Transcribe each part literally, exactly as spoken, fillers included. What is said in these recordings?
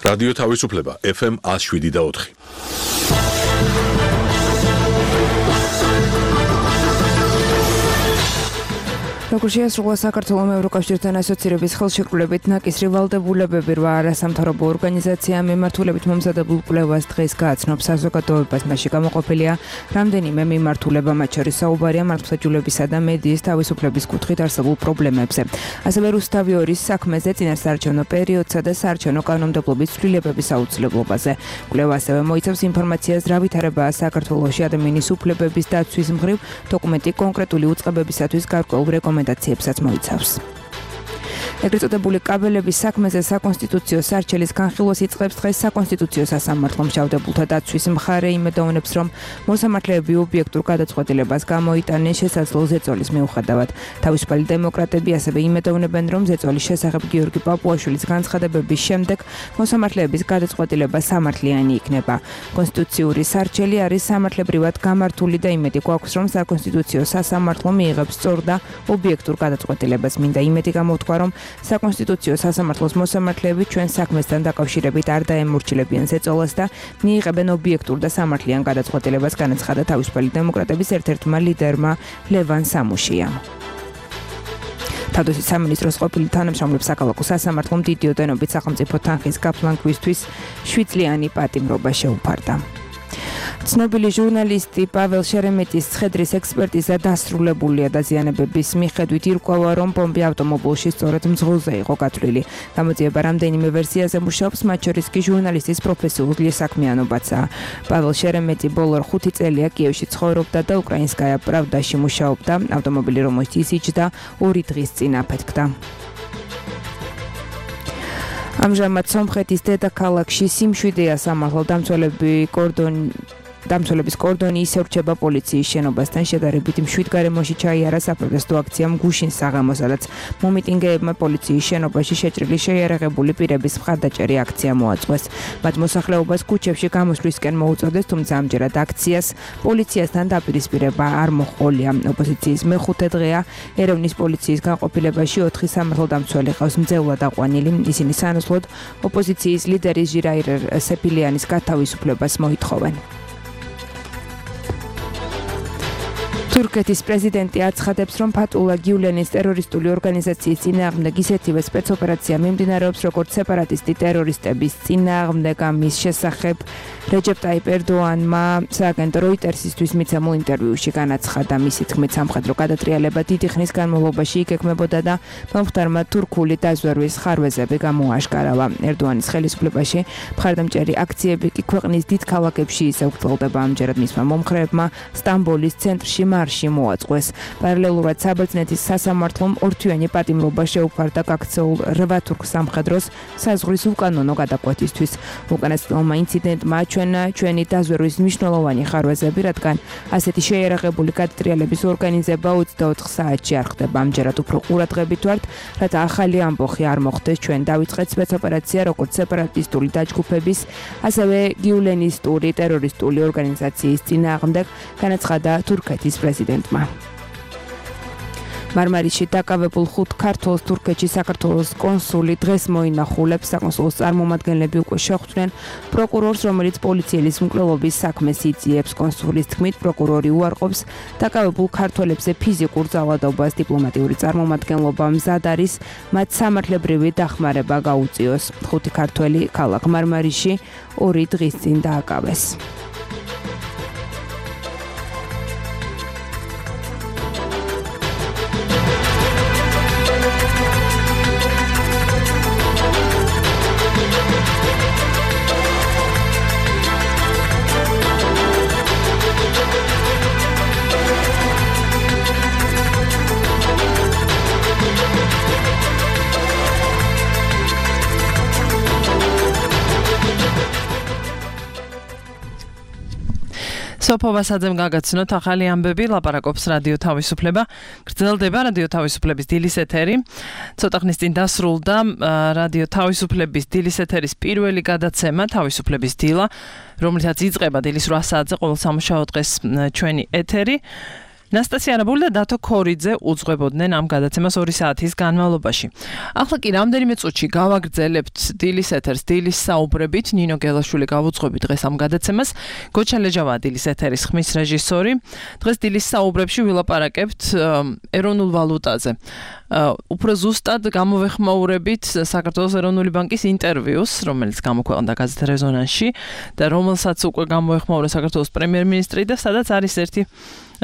რადიო თავისუფლება ეფ ემ one oh seven და four. როგორც შეასრულა საქართველოს ევროკავშირთან ასოცირების ხელშეკრულებით ნაკისრი ვალდებულებები რვა არასამთავრობო ორგანიზაციამ მიმართულებით მომზადებულ კვლევას დღეს გააცნობს საზოგადოებას. მასში გამოყოფილია რამდენიმე მიმართულება, მათ შორის საუბარია მართლმსაჯულებისა და მედიის თავისუფლების კუთხით არსებულ პრობლემებზე. ასევე რუსთავი ორის საქმეზე, წინასაარჩევნო პერიოდსა და საარჩევნო კანონმდებლობის ცვლილებების აუცილებლობაზე. კვლევა ასევე მოიცავს ინფორმაციას რა ვითარებაა საქართველოში ადამიანის უფლებების დაცვის მხრივ, დოკუმენტი კონკრეტული უწყებებისათვის გარკვეულ რეკომენდაციებსაც მოიცავს. ეგრეთ წოდებული კაბელების საქმეზე საკონსტიტუციო სარჩელის განხილვას იწყებს დღეს საკონსტიტუციო სასამართლო. მჟავდებულთა დაცვის მხარე იმედოვნებს, რომ მოსამართლეები ობიექტურ გადაწყვეტილებას გამოიტანენ შესაძლო ზეწოლის მიუხედავად. თავისუფალი დემოკრატები ასევე იმედოვნებენ, რომ ზეწოლის შესახებ გიორგი პაპუაშვილის განცხადებების შემდეგ მოსამართლეების გადაწყვეტილება სამართლიანი იქნება. კონსტიტუციური სარჩელი არის სამართლებრივად გამართული და იმედი გვაქვს, რომ საკონსტიტუციო სასამართლო მიიღებს სწორ და ობიექტურ გადაწყვეტილებას. მინდა იმედი გამოთქვა, რომ საკონსტიტუციო სასამართლოს მოსამართლეები ჩვენ საქმესთან დაკავშირებით არ დაემორჩილებიან ზეწოლას და მიიღებენ ობიექტურ და სამართლიან გადაწყვეტილებას, განაცხადა თავისუფალი დემოკრატების ერთ-ერთმა ლიდერმა ლევან სამუშიამ. თავდაცვის სამინისტროს ყოფილი თანამშრომლებს საქალაქო სასამართლომ დიდი ოდენობით სახელმწიფო თანხის გაფლანგვისთვის შვიდ წლიანი პატიმრობა შეუფარდა. ცნობილი ჟურნალისტი პაվել შერემეტის ცხედრის ექსპერტიზა დასრულებულია. დაზიანებების მიხედვით ირკვევა, რომ ბომბი ავტომობილში სწორედ მძღოლზე იყო გათვლილი. გამოძიება რამდენიმე ვერსიაზე მუშაობს, მათ შორის კი ჟურნალისტის პროფესიული საქმიანობაცაა. პაվել შერემეტი ბოლო ხუთი წელია კიევში ცხოვრობდა და უკრაინსკაია პრავდაში მუშაობდა. ავტომობილი, რომელშიც იჯდა, ორი დღის წინ აფეთქდა. ამჟამად სომხეთის დედაქალაქში სიმშვიდეა სამართალ დამცველები კორდონი დამცველების კორდონი ისევ რჩება პოლიციის შენობასთან. შედარებით მშვიდ გარემოში ჩაიარა საპროტესტო აქციამ გუშინ საღამოს, სადაც მომიტინგეებმა პოლიციის შენობაში შეჭრილი შეიარაღებული პირების მხარდაჭერი აქცია მოაწყვეს. მათ მოსახლეობას ქუჩებში გამოსვლისკენ მოუწოდეს, თუმცა ამჯერად აქციას პოლიციასთან დაპირისპირება არ მოჰყოლია. ოპოზიციის მეხუთე დღეა ერევნის პოლიციის განყოფილებაში ოთხი სამართალდამცველი ყავს მძევლად აყვანილი. ისინი სანაცვლოდ ოპოზიციის ლიდერის ჟირაირ სეფილიანის გათავისუფლებას მოითხოვენ. თურქეთის პრეზიდენტი აცხადებს, რომ ფათულა გიულენის ტერორისტული ორგანიზაციის წინააღმდეგ ისეთივე სპეცოპერაცია მიმდინარეობს, როგორც სეპარატისტი ტერორისტების წინააღმდეგ. ამის შესახებ რეჯეპ ტაიპ ერდოანმა სააგენტო როიტერსისთვის მიცემულ ინტერვიუში განაცხადა. მისი თქმით, სამხედრო გადატრიალება დიდი ხნის განმავლობაში იგეგმებოდა და მომხდარმა თურქული დაზვერვის ხარვეზები გამოაშკარავა. ერდოანის ხელისუფლებაში მხარდამჭერი აქციები კი ქვეყნის დიდ ქალაქებში ისევ გრძელდება. ამჯერად მისმა მომხრეებმა სტამბოლის ცენტრში მარში მოაწყვეს. პარალელურად საბერძნეთის სასამართლომ ორთვიანი პატიმრობა შეუფარდა გაქცეულ რვა თურქ სამხედროს საზღვრის უკანონო გადაკვეთისთვის. უკანასკნელმა ინციდენტმა აჩვენა ჩვენი დაზვერვის მნიშვნელოვანი ხარვეზები, რადგან ასეთი შეიარაღებული გადატრიალების ორგანიზება ოცდაოთხ საათში არ ხდება. ამჯერად უფრო ყურადღებით ვართ, რათა ახალი ამბოხი არ მოხდეს. ჩვენ დავიწყეთ სპეცოპერაცია როგორც სეპარატისტული დაჯგუფების, ასევე გიულენისტური ტერორისტული ორგანიზაციის წინააღმდეგ, განაცხადა თურქეთის პრეზიდენტმა. მარმარისში დაკავებულ ხუთ ქართველს თურქეთში საქართველოს კონსული დღეს მოინახულებს. საკონსულოს წარმომადგენლები უკვე შეხვდნენ პროკურორს, რომელიც პოლიციის მკვლელობის საქმეს იძიებს. კონსულის თქმით, პროკურორი უარყოფს დაკავებულ ქართველებზე ფიზიკურ ძალადობას. დიპლომატიური წარმომადგენლობა მზად არის მათ სამართლებრივი დახმარება გაუწიოს. ხუთი ქართველი ქალაქ მარმარისში ორი დღის წინ დააკავეს. სოფოვასაძემ გაგაცნოთ ახალი ამბები, ლაპარაკობს რადიო თავისუფლება. გრძელდება რადიო თავისუფლების დილის ეთერი. ცოტა ხნის წინ დასრულდა რადიო თავისუფლების დილის ეთერის პირველი გადაცემა თავისუფლების დილა, რომლითაც იწყება დილის რვა საათზე ყოველ სამუშაო დღეს ჩვენი ეთერი. ნასტასია არაბული და დათო ქორიძე უძღვებოდნენ ამ გადაცემას ორი საათის განმავლობაში. ახლა კი რამდენიმე წუთში გავაგრძელებთ დილის ეთერს დილის საუბრებით. ნინო გელაშვილი გავუძღვებით დღეს ამ გადაცემას. გოჩა ლეჯავაა დილის ეთერის ხმის რეჟისორი. დღეს დილის საუბრებში ვილაპარაკებთ ეროვნულ ვალუტაზე. უფრო ზუსტად გამოვეხმაურებით საქართველოს ეროვნული ბანკის ინტერვიუს, რომელიც გამოქვეყნდა გაზეთ რეზონანსში და რომელსაც უკვე გამოეხმაურა საქართველოს პრემიერ-მინისტრი და სადაც არის ერთი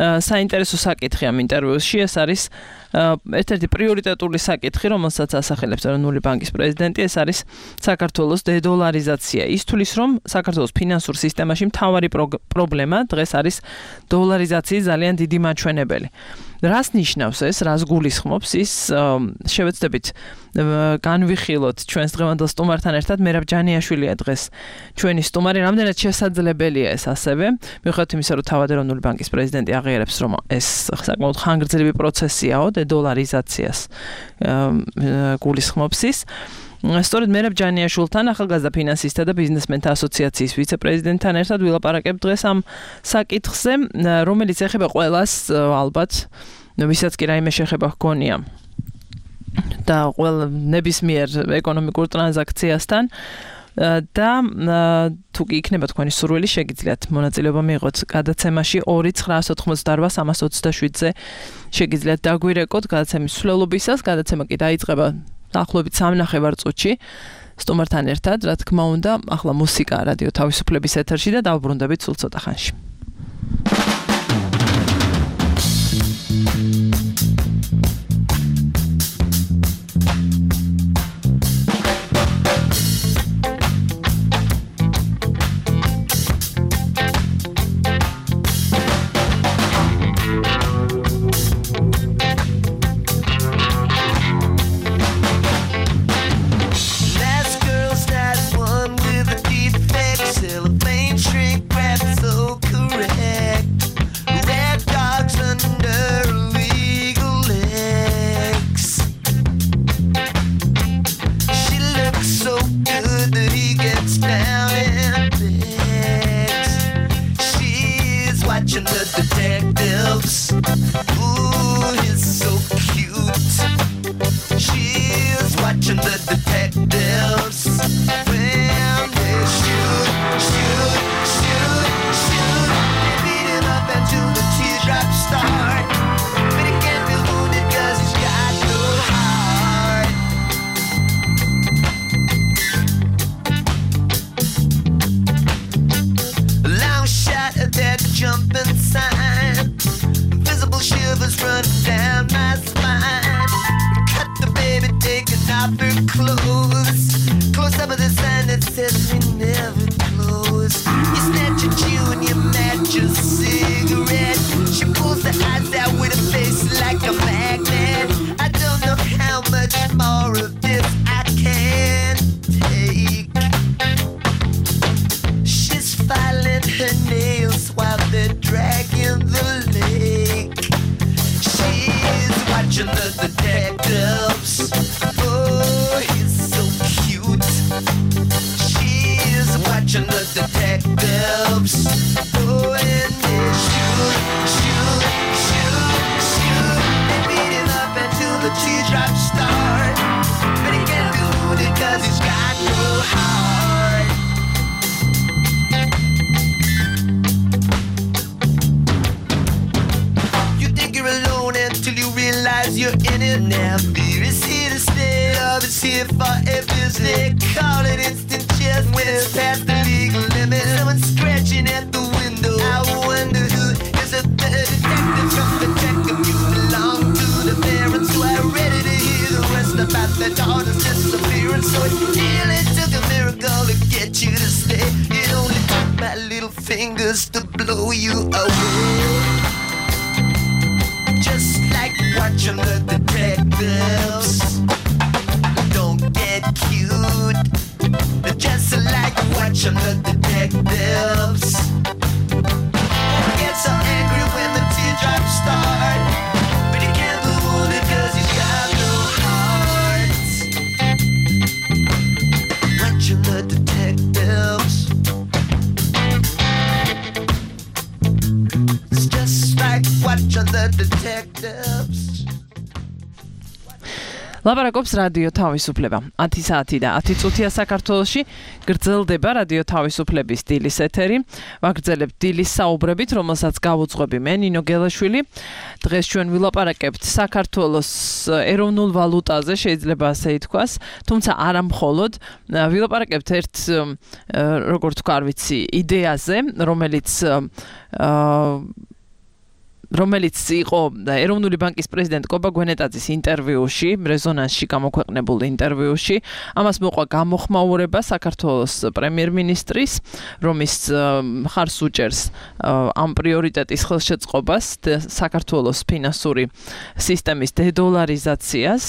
საინტერესო საკითხი ამ ინტერვიუსში. ეს არის ერთ-ერთი პრიორიტეტული საკითხი, რომელსაც ასახელებს ეროვნული ბანკის პრეზიდენტი, ეს არის საქართველოს დედოლარიზაცია. ის თulis, რომ საქართველოს ფინანსურ სისტემაში მთავარი პრობლემა დღეს არის დოლარიზაციის ძალიან დიდი მაჩვენებელი. რას ნიშნავს ეს, რას გულისხმობს ის, შევეცდებით განვიხილოთ ჩვენს დღევანდელ სტუმართან ერთად. მერაბ ჯანიაშვილია დღეს ჩვენი სტუმარი. რამდენად შესაძლებელია ეს ასევე, მიუხედავად იმისა, რომ თავად ეროვნული ბანკის პრეზიდენტი აღიარებს, რომ ეს საკმაოდ ხანგრძლივი პროცესიაო, დედოლარიზაციას გულისხმობს ის. სწორედ მერაბ ჯანიაშვილთან, ახალგაზრდა ფინანსისტთა და ბიზნესმენთა ასოციაციის ვიცე-პრეზიდენტთან ერთად ვილაპარაკებ დღეს ამ საკითხზე, რომელიც ეხება ყველას ალბათ, ვისაც კი რაიმე შეხება ჰქონია და ყველა ნებისმიერ ეკონომიკურ ტრანზაქციასთან. და თუ კი იქნება თქვენი სურვილი, შეგიძლიათ მონაწილეობა მიიღოთ გადაცემაში ორი ცხრა ოთხმოცდაოთხ სამას ოცდაშვიდზე შეგიძლიათ დაგვირეკოთ გადაცემის მსვლელობისას. გადაცემა კი დაიწყება დაახლოებით სამნახევარ წუთში სტუმართან ერთად, რა თქმა უნდა, ახლა მუსიკა რადიო თავისუფლების ეთერში და დავბრუნდებით სულ ცოტა ხანში. detectives. ლაპარაკობს რადიო თავისუფლება. ათი საათი და ათი წუთია საქართველოში გრძელდება რადიო თავისუფლების დილის ეთერი. ვაგრძელებთ დილის საუბრებით, რომელსაც გავუძღვები მე ნინო გელაშვილი. დღეს ჩვენ ვილაპარაკებთ საქართველოს ეროვნულ ვალუტაზე, შეიძლება ასე ითქვას, თუმცა არა მხოლოდ. ვილაპარაკებთ ერთ როგორ თქვა, არ ვიცი, იდეაზე, რომელიც რომელიც იყო ეროვნული ბანკის პრეზიდენტ კობა გვენეტაძის ინტერვიუში, რეზონანსში გამოქვეყნებულ ინტერვიუში. ამას მოყვა გამოხმაურება საქართველოს პრემიერ-მინისტრის, რომის მხარს უჭერს ამ პრიორიტეტის ხელშეწყობას, საქართველოს ფინანსური სისტემის დედოლარიზაციას.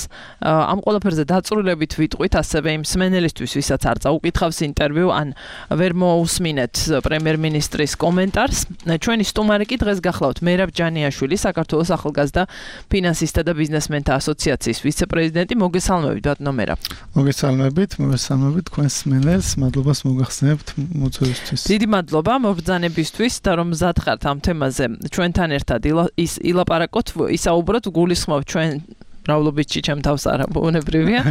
ამ ყველაფერზე დაწვრილებით ვიტყვით ასევე იმ მსმენელისთვის, ვისაც არ წაუკითხავს ინტერვიუ, ან ვერ მოусმინეთ პრემიერ-მინისტრის კომენტარს. ჩვენი სტუმარი კი დღეს გახლავთ მერაბ შვილი, საქართველოს ახალგაზრდა ფინანსისტთა და ბიზნესმენთა ასოციაციის ვიცე-პრეზიდენტი. მოგესალმებით, ბატონო მერაბ. მოგესალმებით, მოგესალმებით თქვენს მსმენელს, მადლობას მოგახსენებთ მოწვევისთვის. დიდი მადლობა მობრძანებისთვის და რომ მზად ხართ ამ თემაზე ჩვენთან ერთად ის ილაპარაკოთ, ისაუბროთ, გულისხმობ ჩვენ ბრავლობიჩი ჩემ თავს არა ბუნებრივია.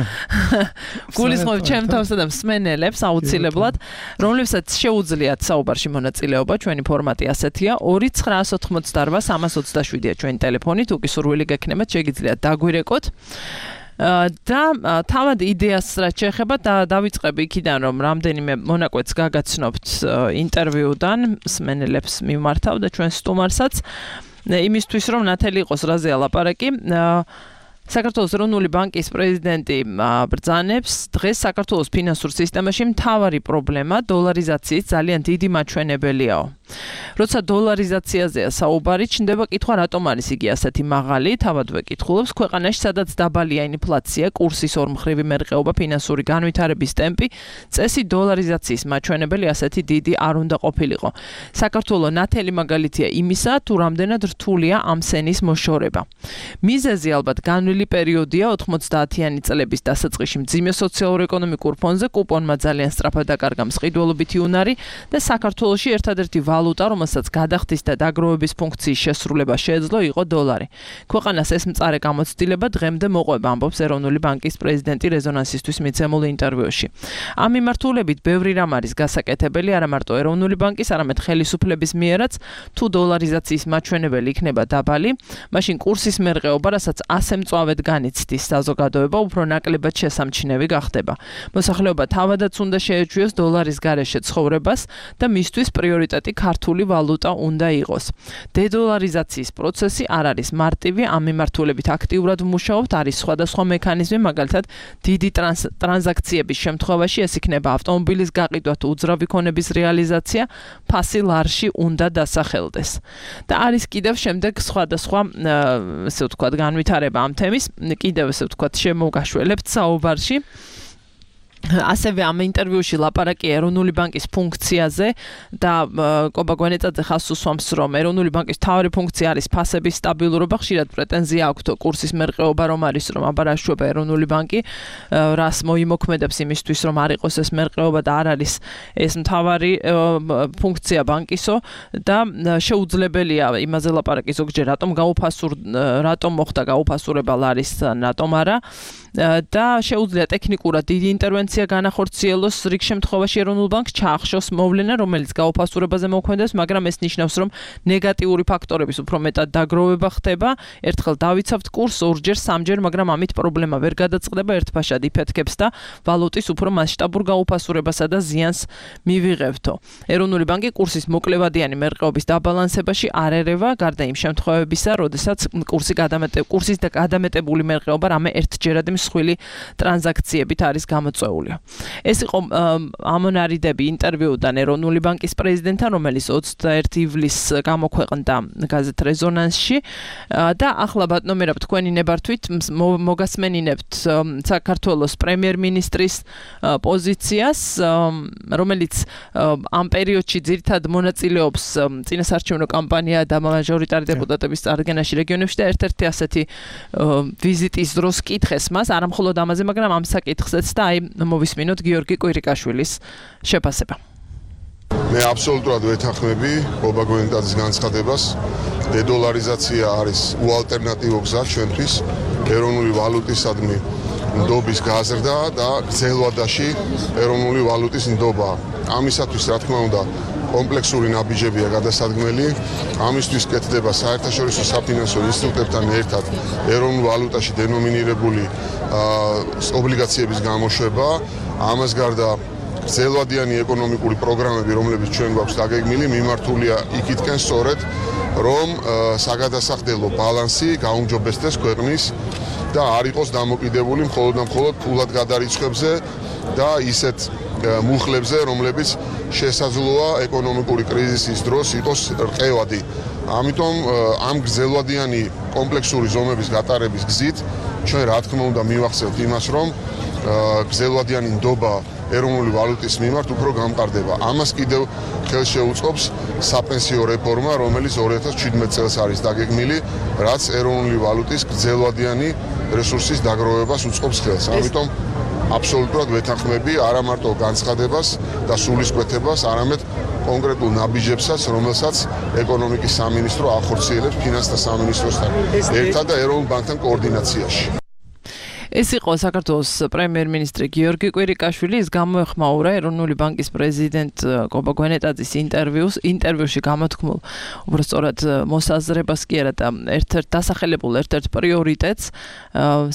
გულისხმობ ჩემ თავსა და მსმენელებს აუცილებლად, რომლებსაც შეუძლიათ საუბარში მონაწილეობა, ჩვენი ფორმატი ასეთია: ორი ცხრა ოთხმოცდაარბა სამას ოცდაშვიდია ჩვენი ტელეფონი, თუ კი სურვილი გექნებათ, შეგიძლიათ დაგვირეკოთ. და თავად იდეას რაც შეეხება და დავიწყები იქიდან, რომ რამდენიმე მონაკვეთს გაგაცნობთ ინტერვიუდან, მსმენელებს მიმართავ და ჩვენ სტუმარსაც, იმისთვის რომ ნათელი იყოს რაზეა ლაპარაკი. საქართველოს ეროვნული ბანკის პრეზიდენტი ბრძანებს, დღეს საქართველოს ფინანსურ სისტემაში მთავარი პრობლემა დოლარიზაციის ძალიან დიდი მაჩვენებელიაო. როცა დოლარიზაციაზეა საუბარი, ჩნდება კითხვა, რატომ არის იგი ასეთი მაღალი? თავადვე კითხულობს, ქვეყანაში სადაც დაბალია ინფლაცია, კურსის ორმხრივი მერყეობა, ფინანსური განვითარების ტემპი, წესი დოლარიზაციის მაჩვენებელი ასეთი დიდი არ უნდა ყოფილიყო. საქართველოს ნათელი მაგალითია იმისა, თუ რამდენად რთულია ამ სენის მოშორება. მიზეზი ალბათ განვლილი პერიოდია ოთხმოცდაათიანი წლების დასაწყისში მძიმე სოციალურ-ეკონომიკურ ფონზე, კუპონმა ძალიან სწრაფად დაკარგა მსყიდველობითი უნარი და საქართველოში ერთადერთი ვალუტა, რომელსაც გადახდის და დაგროვების ფუნქციის შესრულება შეეძლო, იყო დოლარი. ქვეყანას ეს მწარე გამოცდილება დღემდე მოყვება, ამბობს ეროვნული ბანკის პრეზიდენტი რეზონანსისთვის მიცემულ ინტერვიუში. ამ მიმართულებით ბევრი რამ არის გასაკეთებელი, არა მარტო ეროვნული ბანკის, არამედ ხელისუფლების მიერაც, თუ დოლარიზაციის მაჩვენებელი იქნება დაბალი, მაშინ კურსის მერყეობა, რასაც ასე მწვავედ განიცდის საზოგადოება, უფრო ნაკლებად შესამჩნევი გახდება. მოსახლეობა თავადაც უნდა შეეჩვიოს დოლარის გარეშე ცხოვრებას და მისთვის პრიორიტეტი ქართული ვალუტა უნდა იყოს. დედოლარიზაციის პროცესი არ არის მარტივი, ამ მიმართულებით აქტიურად ვმუშაობთ, არის სხვადასხვა მექანიზმი, მაგალითად, დიდი ტრანზაქციების შემთხვევაში ეს იქნება ავტომობილის გაყიდვა თუ უძრავი ქონების რეალიზაცია, ფასი ლარში უნდა დასახელდეს. და არის კიდევ შემდეგ სხვადასხვა, ესე ვთქვათ, განვითარება ამ თემის, კიდევ ესე ვთქვათ, შემოგაშველებთ საუბარში. ასევე ამ ინტერვიუში ლაპარაკი ეროვნული ბანკის ფუნქციაზე და კობა გვენეტაძე ხაზს უსვამს, რომ ეროვნული ბანკის მთავარი ფუნქცია არის ფასების სტაბილურობა, ხშირად პრეტენზია აქვს კურსის მერყეობა, რომ არის, რომ აბარაშუება ეროვნული ბანკი, რას მოიმოქმედებს იმისთვის, რომ არ იყოს ეს მერყეობა და არ არის ეს მთავარი ფუნქცია ბანკისო და შეუძლებელია იმაზე ლაპარაკი ზოგჯერ, რატომ გაუფასურ, რატომ მოხდა გაუფასურება ლარის, რატომ არა და შეუძლია ტექნიკურად დიდი ინტერვენცია განახორციელოს რიგ შემთხვევაში ეროვნულ ბანკს ჩაახშოს მოვლენა, რომელიც გაუფასურებაზე მოქმედებს, მაგრამ ეს ნიშნავს, რომ ნეგატიური ფაქტორების უფრო მეტად დაგროვება ხდება. ერთხელ დავიცავთ კურსს ორჯერ, სამჯერ, მაგრამ ამით პრობლემა ვერ გადაწყდება, ერთფაშად იფეთქებს და ვალუტის უფრო მასშტაბურ გაუფასურებასა და ზიანს მივიღებთო. ეროვნული ბანკი კურსის მოკლევადიანი მერყეობის დაბალანსებაში არ ერევა, გარდა იმ შემთხვევებისა, როდესაც კურსი გადამეტე კურსის და გადამეტებული მერყეობა რამე ერთჯერადი მსხვილი ტრანზაქციებით არის გამოწვეული. ეს იყო ამონარიდები ინტერვიუდან ეროვნული ბანკის პრეზიდენტთან, რომელიც ოცდაერთი ივლისს გამოქვეყნდა გაზეთ რეზონანსში და ახლა ბატონო მერაბ თქვენი ნებართვით მოგასმენინებთ საქართველოს პრემიერ-მინისტრის პოზიციას, რომელიც ამ პერიოდში ძირითადად მონაწილეობს წინასარჩევნო კამპანია და მაჟორიტარი დეპუტატების წარდგენაში რეგიონებში და ერთ-ერთი ასეთი ვიზიტის დროს კითხეს მას, არა მხოლოდ ამაზე, მაგრამ ამ საკითხზეც და აი მოვისმინოთ გიორგი კვირიკაშვილის შეფასება. მე აბსოლუტურად ვეთანხმები ბობა გვენეტაძის განცხადებას. დედოლარიზაცია არის უალტერნატივო გზა ჩვენთვის ეროვნული ვალუტისადმი ნდობის გაზრდა და გრძელვადაში ეროვნული ვალუტის ნდობა. ამისათვის რა თქმა უნდა კომპლექსური ნაბიჯებია გადასადგმელი. ამისთვის კეთდება საერთაშორისო საფინანსო ინსტიტუტებთან ერთად ეროვნულ ვალუტაში დენომინირებული ობლიგაციების გამოშვება. ამას გარდა გრძელვადიანი ეკონომიკური პროგრამები, რომლებიც ჩვენ გვაქვს დაგეგმილი, მიმართულია იქითკენ სწორედ, რომ საგადასახდელო ბალანსი გაუმჯობესდეს ქვეყნის და არ იყოს დამოკიდებული მხოლოდ და მხოლოდ ფულად გადარიცხვებზე და ისეთ მუხლებზე, რომლებიც შესაძლოა ეკონომიკური კრიზისის დროს იყოს რყევადი. ამიტომ ამ გრძელვადიანი კომპლექსური ზომების გატარების გზით ჩვენ რა თქმა უნდა მივახცევთ იმას, რომ გრძელვადიანი ნდობა ეროვნული ვალუტის მიმართ უფრო გამყარდება. ამას კიდევ ხელს შეუწყობს საპენსიო რეფორმა, რომელიც ორი ათას შვიდმეტ წელს არის დაგეგმილი, რაც ეროვნული ვალუტის გრძელვადიანი რესურსის დაგროვებას უწყობს ხელს. ამიტომ აბსოლუტურად ვეთანხმები არა მარტო განცხადებას და სულისკვეთებას, არამედ კონკრეტულ ნაბიჯებსაც, რომელსაც ეკონომიკის სამინისტრო ახორციელებს ფინანსთა სამინისტროსთან ერთად და ეროვნულ ბანკთან კოორდინაციაში. ეს იყო საქართველოს პრემიერ-მინისტრი გიორგი კვირიკაშვილი. ის გამოეხმაურა ეროვნული ბანკის პრეზიდენტ კობა გვენეტაძის ინტერვიუს. ინტერვიუში გამოთქმულ უბრალოდ მოსაზრებას კი არა და ერთ-ერთ დასახელებულ ერთ-ერთ პრიორიტეტს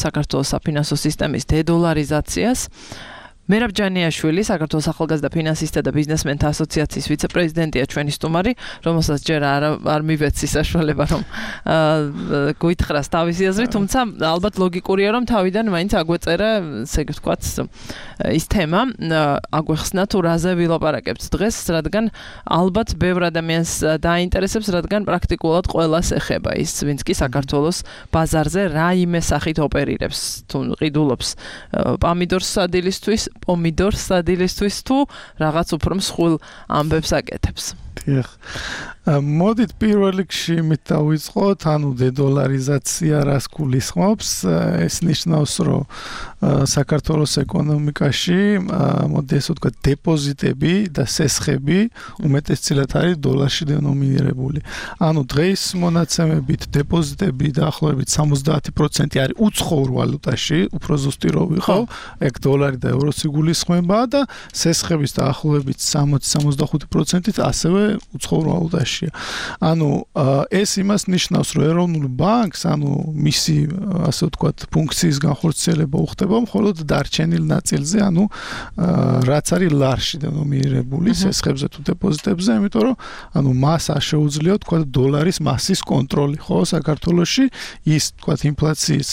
საქართველოს საფინანსო სისტემის დედოლარიზაციას. მერაბ ჯანიაშვილი, საქართველოს ახალგაზრდა ფინანსისტთა და ბიზნესმენთა ასოციაციის ვიცე-პრეზიდენტია ჩვენი სტუმარი, რომელსაც ჯერ არ არ მივეცი საშუალება რომ გვითხრას თავისი აზრი, თუმცა ალბათ ლოგიკურია რომ თავიდან მაინც აგვეწერა, ესე ვთქვათ, ის თემა, აგვეხსნა თუ რაზე ვილაპარაკებთ დღეს, რადგან ალბათ ბევრ ადამიანს დაინტერესებს, რადგან პრაქტიკულად ყველას ეხება ის, ვინც კი საქართველოს ბაზარზე რაიმე სახით ოპერირებს, თუ ყიდულობს პომიდორს სადილისთვის პომიდორს სადილისთვის თუ რაღაც უფრო მსხვილ ამბებს აკეთებს. დიახ. მოდით პირველ რიგში იმით დავიწყოთ, ანუ დედოლარიზაცია რას გულისხმობს? ეს ნიშნავს, რომ საქართველოს ეკონომიკაში, მოდი ასე ვთქვათ, დეპოზიტები და სესხები უმეტესწილად არის დოლარში დენომინირებული. ანუ დღეს მონაცემებით დეპოზიტები დაახლოებით სამოცდაათი პროცენტი არის უცხოურ ვალუტაში, უფრო ზუსტი რო ვიყო, ეგ დოლარი და ევროც იგულისხმება და სესხების დაახლოებით სამოცი სამოცდახუთი პროცენტით ასევე უცხოურ ვალუტაში. ანუ ეს იმას ნიშნავს, რომ ეროვნულ ბანკს, ანუ მისი ასე ვთქვათ, ფუნქციის განხორციელება უხდება მხოლოდ დარჩენილ ნაწილზე, ანუ რაც არის ლარში დენომინირებული სესხებზე თუ დეპოზიტებზე, იმიტომ რომ ანუ მას არ შეუძლია ვთქვათ დოლარის მასის კონტროლი, ხო, საქართველოში ის ვთქვათ ინფლაციის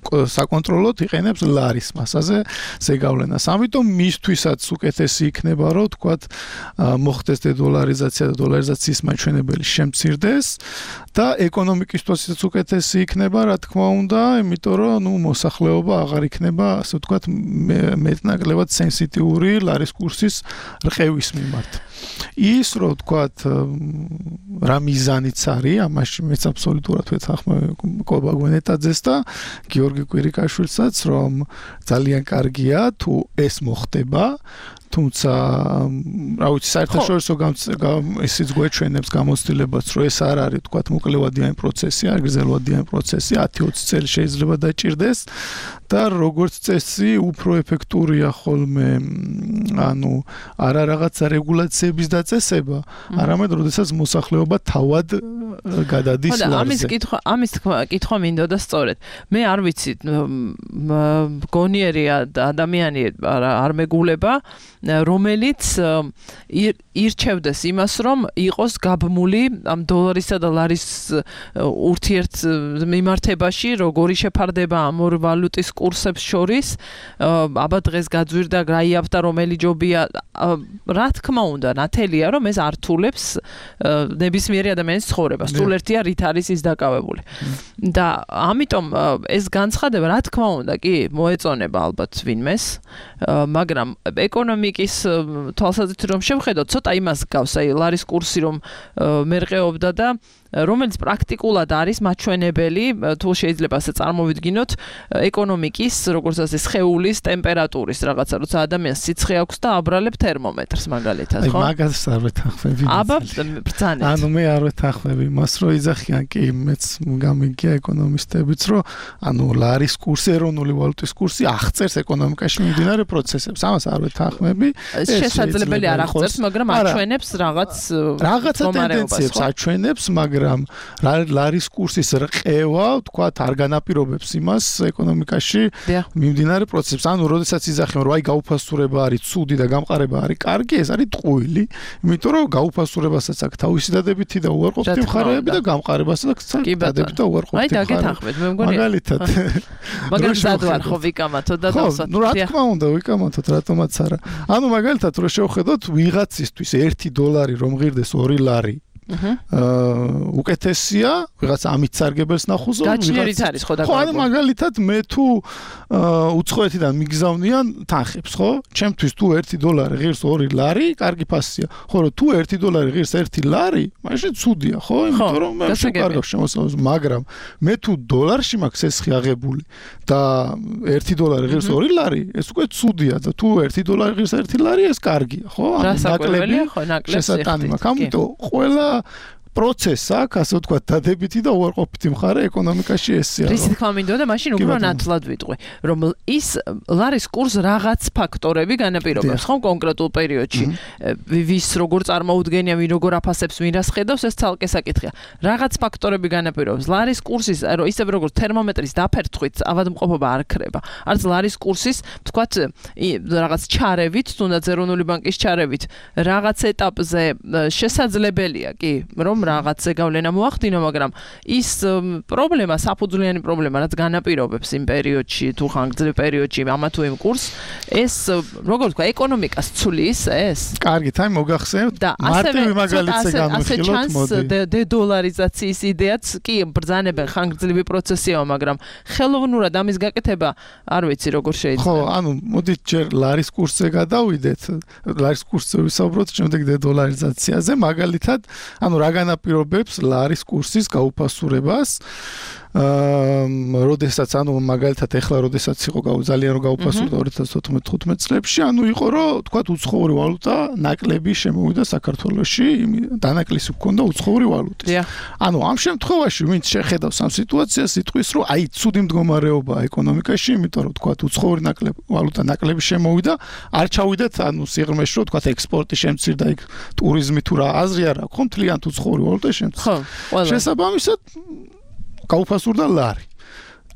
საკონტროლოდ იყენებს ლარის მასაზე ზეგავლენას. ამიტომ მისთვისაც უკეთესი იქნება, რომ ვთქვათ მოხდეს დედოლარიზაცია და დოლარიზაციის მაჩვენებელი შემცირდეს და ეკონომიკისთვისაც უკეთესი იქნება, რა თქმა უნდა, იმიტომ რომ ნუ მოსახლეობა აღარ იქნება, ასე ვთქვათ, მეტნაკლებად სენსიტიური ლარის კურსის რყევის მიმართ. ის რო ვთქვათ რა მიზანიც არის, ამაში მეც აბსოლუტურად ვეთანხმები კობა გვენეტაძეს და გიორგი კვირიკაშვილსაც, რომ ძალიან კარგია თუ ეს მოხდება, თუმცა რა ვიცი საერთაშორისო ისიც გვეჩვენებს გამოცდილებას, რომ ეს არ არის ვთქვათ მოკლევადიანი პროცესი, არ გრძელვადიანი პროცესი, ათი ოცი წელი შეიძლება დაჭირდეს და როგორც წესი უფრო ეფექტურია ხოლმე ანუ არა რაღაცა რეგულაციების დაწესება, არამედ როდესაც მოსახლეობა თავად გადადის ლარზე. ამის კითხვა, ამის კითხვა მინდოდა სწორედ. მე არ ვიცი გონიერია ადამიანი არ მეგულება, რომელიც ირჩევდეს იმას, რომ იყოს გაბმული ამ დოლარისა და ლარის ურთიერთ მიმართებაში, როგორი შეფარდება ამ ორ ვალუტის კურსებს შორის, აბა დღეს გაძვირდა, გაიაფთა რომელი ჯობია, რა თქმა უნდა, ნათელია, რომ ეს ართულებს ნებისმიერი ადამიანის ცხოვრებას. სულ ერთია რით არის ის დაკავებული. და ამიტომ ეს განცხადება, რა თქმა უნდა, კი მოეწონება ალბათ ვინმეს, მაგრამ ეკონომიკის თვალსაზრისით რომ შევხედოთ, ცოტა იმას გავს, აი ლარის კურსი რომ მერყეობდა და რომელიც პრაქტიკულად არის მაჩვენებელი, თუ შეიძლება ასე წარმოვიდგინოთ, ეკონომიკის, როგორც ასე სხეულის ტემპერატურის რაღაცა, როცა ადამიანს სიცხე აქვს და აბრალებ თერმომეტრს მაგალითად, ხო? აი მაგას არ ვეთანხმები. აბა ბრძანეთ. ანუ მე არ ვეთანხმები მას, რომ იძახიან კი მეც გამიგია ეკონომისტებიც, რომ ანუ ლარის კურსი, ეროვნული ვალუტის კურსი აღწერს ეკონომიკაში მიმდინარე პროცესებს. ამას არ ვეთანხმები. შესაძლებელი არ აღწერს, მაგრამ აჩვენებს რაღაც რაღაცა ტენდენციებს აჩვენებს, მაგრამ ლარის კურსის რყევა, თქვათ, არ განაპირობებს იმას ეკონომიკაში მიმდინარე პროცესებს. ანუ როდესაც იძახიან, რომ აი გაუფასურება არის ცუდი და გამყარება არის კარგი, ეს არის ტყუილი, იმიტომ რომ გაუფასურებასაც აქვს თავისი დადებითი და უარყოფითი მხარეები და გამყარებასაც აქვს დადებითი და უარყოფითი მხარეები. აი დაგეთანხმეთ, მე მგონი. მაგალითად. მაგრამ სადვარ ხო ვიკამათო და დავსვათ. ნუ რა თქმა უნდა, ვიკამათოთ, რატომაც არა. ანუ მაგალითად რო შევხედოთ ვიღაცისთვის ერთი დოლარი რომ ღირდეს ორი ლარი. აა უკეთესია, ვიღაც ამით სარგებელს ნახულს, გაჩნიერიც არის ხო და ხო, ანუ მაგალითად მე თუ უცხოეთიდან მიგზავნიან თანხებს, ხო? ჩემთვის თუ ერთი დოლარი ღირს ორი ლარი, კარგი ფასია. ხო, რომ თუ ერთი დოლარი ღირს ერთი ლარი, მაშინ ცუდია, ხო? იმიტომ რომ მე შევკარგავ შემოსავალს, მაგრამ მე თუ დოლარში მაქვს ესხი აღებული და ერთი დოლარი ღირს ორი ლარი, ეს უკვე ცუდია და თუ ერთი დოლარი ღირს ერთი ლარი, ეს კარგია, ხო? ანუ ნაკლები, ხო, ნაკლებს შესატანი მაქვს. ამიტომ ყველა პროცესს აქვს, ასე ვთქვათ, დადებითი და უარყოფითი მხარე ეკონომიკაში ესეა. რის თქმა მინდოდა, მაშინ უფრო ნათლად ვიტყვი, რომ ის ლარის კურს რაღაც ფაქტორები განაპირობებს, ხო, კონკრეტულ პერიოდში. ვის როგორ წარმოუდგენია, ვინ როგორ აფასებს, ვინ რას ხედავს, ეს ცალკე საკითხია. რაღაც ფაქტორები განაპირობებს. ლარის კურსის, რომ ისევ როგორც თერმომეტრის დაფერთხვით ავადმყოფობა არ ქრება. არც ლარის კურსის, ვთქვათ, რაღაც ჩარევით, თუნდაც ეროვნული ბანკის ჩარევით, რაღაც ეტაპზე შესაძლებელია, კი, რომ რაღაცზე გავლენა მოახდინო, მაგრამ ის პრობლემა, საფუძვლიანი პრობლემა, რაც განაპირობებს იმ პერიოდში, თუ ხანგრძლივ პერიოდში ამა თუ იმ კურს, ეს როგორ ვთქვა, ეკონომიკას ცulis ეს. კარგით, აი მოგახსენებთ, მარტივი მაგალითზე განვიხილოთ, მოდი. დედოლარიზაციის იდეაც კი ბრძანებენ ხანგრძლივი პროცესია, მაგრამ ხელოვნურად ამის გაკეთება არ ვიცი როგორ შეიძლება. ხო, ანუ მოდით ჯერ ლარის კურსზე გადავიდეთ. ლარის კურსზე ვისაუბროთ, შემდეგ დედოლარიზაციაზე, მაგალითად, ანუ რა განაპირობებს ლარის კურსის გაუფასურებას. აა, როდესაც ანუ მაგალითად ეხლა როდესაც იყო ძალიან რო გაუფასურდა ორი ათას თოთხმეტ თხუთმეტ წლებში, ანუ იყო რომ თქვათ უცხოური ვალუტა ნაკლები შემოვიდა საქართველოში, დანაკლისი ჰქონდა უცხოური ვალუტის. ანუ ამ შემთხვევაში ვინც შეხედავს ამ სიტუაციას, იტყვის რომ აი ცუდი მდგომარეობაა ეკონომიკაში, იმიტომ რომ თქვათ უცხოური ნაკლები ვალუტა ნაკლები შემოვიდა, არ ჩავიდეთ ანუ სიღრმეში რომ თქვათ ექსპორტი შემცირდა, იქ ტურიზმი თუ რა აზრი არ აქვს, მთლიანად უცხოური ვალუტა შემცირდა. ხო, ყველა. შესაბამისად გაუფასურდა ლარი.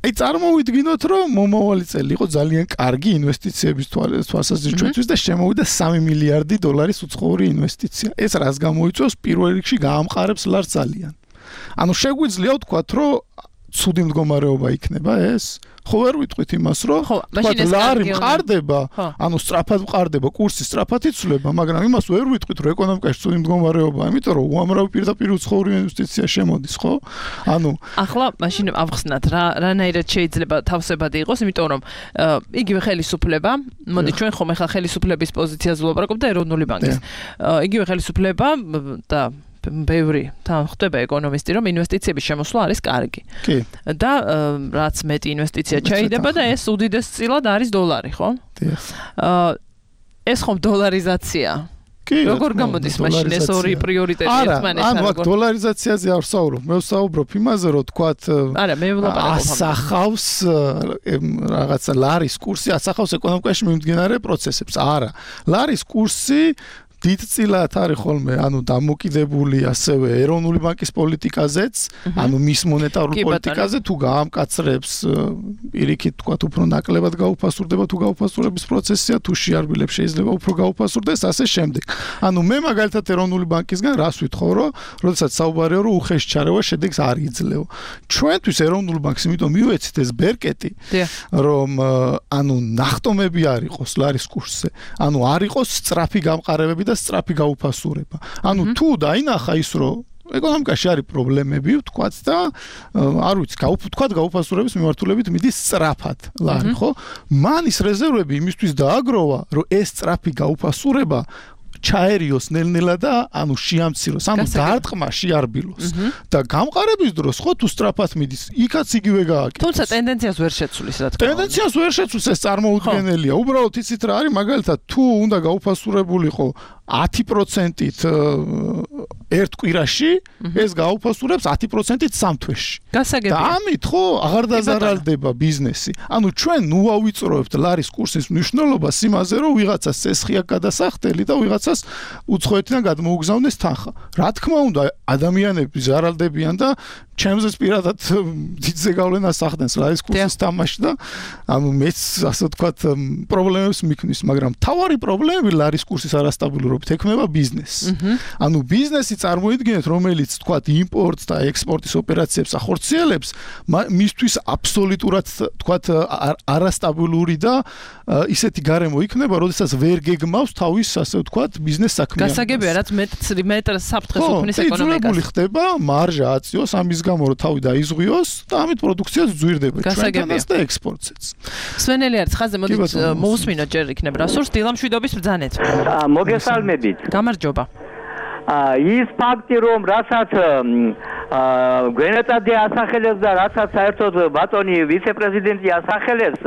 აი წარმოვიდგინოთ, რომ მომავალი წელი იყო ძალიან კარგი ინვესტიციების თვალსაზრისით ჩვენთვის და შემოვიდა სამი მილიარდი დოლარის უცხოური ინვესტიცია. ეს რას გამოიწვევს? პირველ რიგში გაამყარებს ლარს ძალიან. ანუ შეგვიძლია ვთქვათ, რომ ცუდი მდგომარეობა იქნება ეს? ხო ვერ ვიტყვით იმას, რომ თქვათ ლარი მყარდება, ანუ სწრაფად მყარდება, კურსი სწრაფად იცვლება, მაგრამ იმას ვერ ვიტყვით, რომ ეკონომიკაში ცუდი მდგომარეობაა, იმიტომ რომ უამრავი პირდაპირ უცხოური ინვესტიცია შემოდის, ხო? ანუ ახლა მაშინ ავხსნათ რა რანაირად შეიძლება თავსებადი იყოს, იმიტომ რომ იგივე ხელისუფლება, მოდი ჩვენ ხომ ახლა ხელისუფლების პოზიციაზე ვლაპარაკობ და ეროვნული ბანკის. იგივე ხელისუფლება და ბევრი თან ხდება ეკონომისტი, რომ ინვესტიციების შემოსვლა არის კარგი. კი. და რაც მეტი ინვესტიცია ჩაიდება და ეს უდიდეს წილად არის დოლარი, ხო? დიახ. ეს ხომ დოლარიზაცია. კი, როგორ გამოდის მაშინ ეს ორი პრიორიტეტი ერთმანეთთან? ანუ აქ დოლარიზაციაზე არ ვსაუბრობ, მე ვსაუბრობ იმაზე, რომ თქვათ არა, მე ვლაპარაკობ ასახავს რაღაცა ლარის კურსი, ასახავს ეკონომიკაში მიმდინარე პროცესებს. არა, ლარის კურსი დიდწილად არის ხოლმე, ანუ დამოკიდებული ასევე ეროვნული ბანკის პოლიტიკაზეც, ანუ მის მონეტარულ პოლიტიკაზე, თუ გაამკაცრებს პირიქით თქვათ უფრო ნაკლებად გაუფასურდება, თუ გაუფასურების პროცესია, თუ შეარბილებს შეიძლება უფრო გაუფასურდეს, ასე შემდეგ. ანუ მე მაგალითად ეროვნული ბანკისგან რას ვითხოვ, რომ როდესაც საუბარია, რომ უხეში ჩარევა შედეგს არ იძლეო. ჩვენთვის ეროვნული ბანკს იმიტომ მივეცით ეს ბერკეტი, რომ ანუ ნახტომები არ იყოს ლარის კურსზე, ანუ არ იყოს სწრაფი გამყარებები და სწრაფი გაუფასურება. ანუ თუ დაინახა ის, რომ ეკონომიკაში არის პრობლემები, ვთქვათ და არ ვიცი, ვთქვათ გაუფასურების მიმართულებით მიდის სწრაფად ლარი, ხო? მან ის რეზერვები იმისთვის დააგროვა, რომ ეს სწრაფი გაუფასურება ჩაერიოს ნელ-ნელა და ანუ შეამციროს, ანუ დაარტყმა შეარბილოს. და გამყარების დროს ხო თუ სწრაფად მიდის, იქაც იგივე გააკეთოს. თუმცა ტენდენციას ვერ შეცვლის რა თქმა უნდა. ტენდენციას ვერ შეცვლის, ეს წარმოუდგენელია. უბრალოდ იცით რა არის, მაგალითად თუ უნდა გაუფასურებულიყო ათი პროცენტით ერთ კვირაში, ეს გაუფასურებს ათი პროცენტით სამ თვეში. გასაგებია. და ამით ხო აღარ დაზარალდება ბიზნესი. ანუ ჩვენ ნუ ავიწროებთ ლარის კურსის მნიშვნელობას იმაზე, რომ ვიღაცას წესხი აქვს გადასახდელი და ვიღაცას უცხოეთიდან გადმოუგზავნეს თანხა. რა თქმა უნდა, ადამიანები ზარალდებიან და ჩემზეც პირადად დიდზე გავლენას ახდენს ლარის კურსის თამაში და ანუ მეც ასე ვთქვათ პრობლემებს მიქმნის, მაგრამ თავარი პრობლემები ლარის კურსის არასტაბილურობით ექმნება ბიზნესს. ანუ ბიზნესი წარმოიდგინეთ, რომელიც ვთქვათ იმპორტს და ექსპორტის ოპერაციებს ახორციელებს, მისთვის აბსოლუტურად ვთქვათ არასტაბილური და ისეთი გარემო იქნება, როდესაც ვერ გეგმავს თავის ასე ვთქვათ ბიზნეს საქმიანობას. გასაგებია, რაც მეტრ საფრთხეს უქმნის ეკონომიკას. იძულებული ხდება მარჟა აწიოს ამის გამო რომ თავი დაიზღვიოს და ამით პროდუქციაც ზვირდება ჩვენთანაც და ექსპორტსაც. სვენელი არის ხაზე, მოდით მოусმინოთ ჯერ იქნებ რასურს დილამშვიდობის ბრძანეთ. მოგესალმებით. გამარჯობა. ის ფაქტი რომ რასაც გვენეტადი ასახელებს და რასაც საერთოდ ბატონი ვიცე-პრეზიდენტი ასახელებს,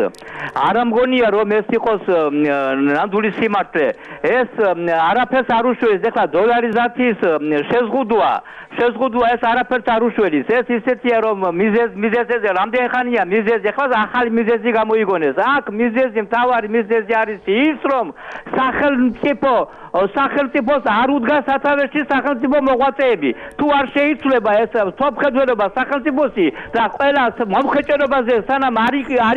არ ამგონია რომ ეს იყოს ნამდვილი სიმართლე. ეს არაფერს არ უშველის, ეხლა დოლარიზაციის შეზღუდვა, შეზღუდვა ეს არაფერს არ უშველის. ეს ისეთია რომ მიზეზ მიზეზზე რამდენი ხანია მიზეზი, ეხლა ახალი მიზეზი გამოიგონეს. აქ მიზეზი, მთავარი მიზეზი არის ის, რომ სახელმწიფო სახელმწიფოს არ უდგას სათავეში სახელმწიფო მოღვაწეები. თუ არ შეიცვლება ეს თოფხედველობა სახელმწიფოსი და ყველა მომხეჭერობაზე სანამ არ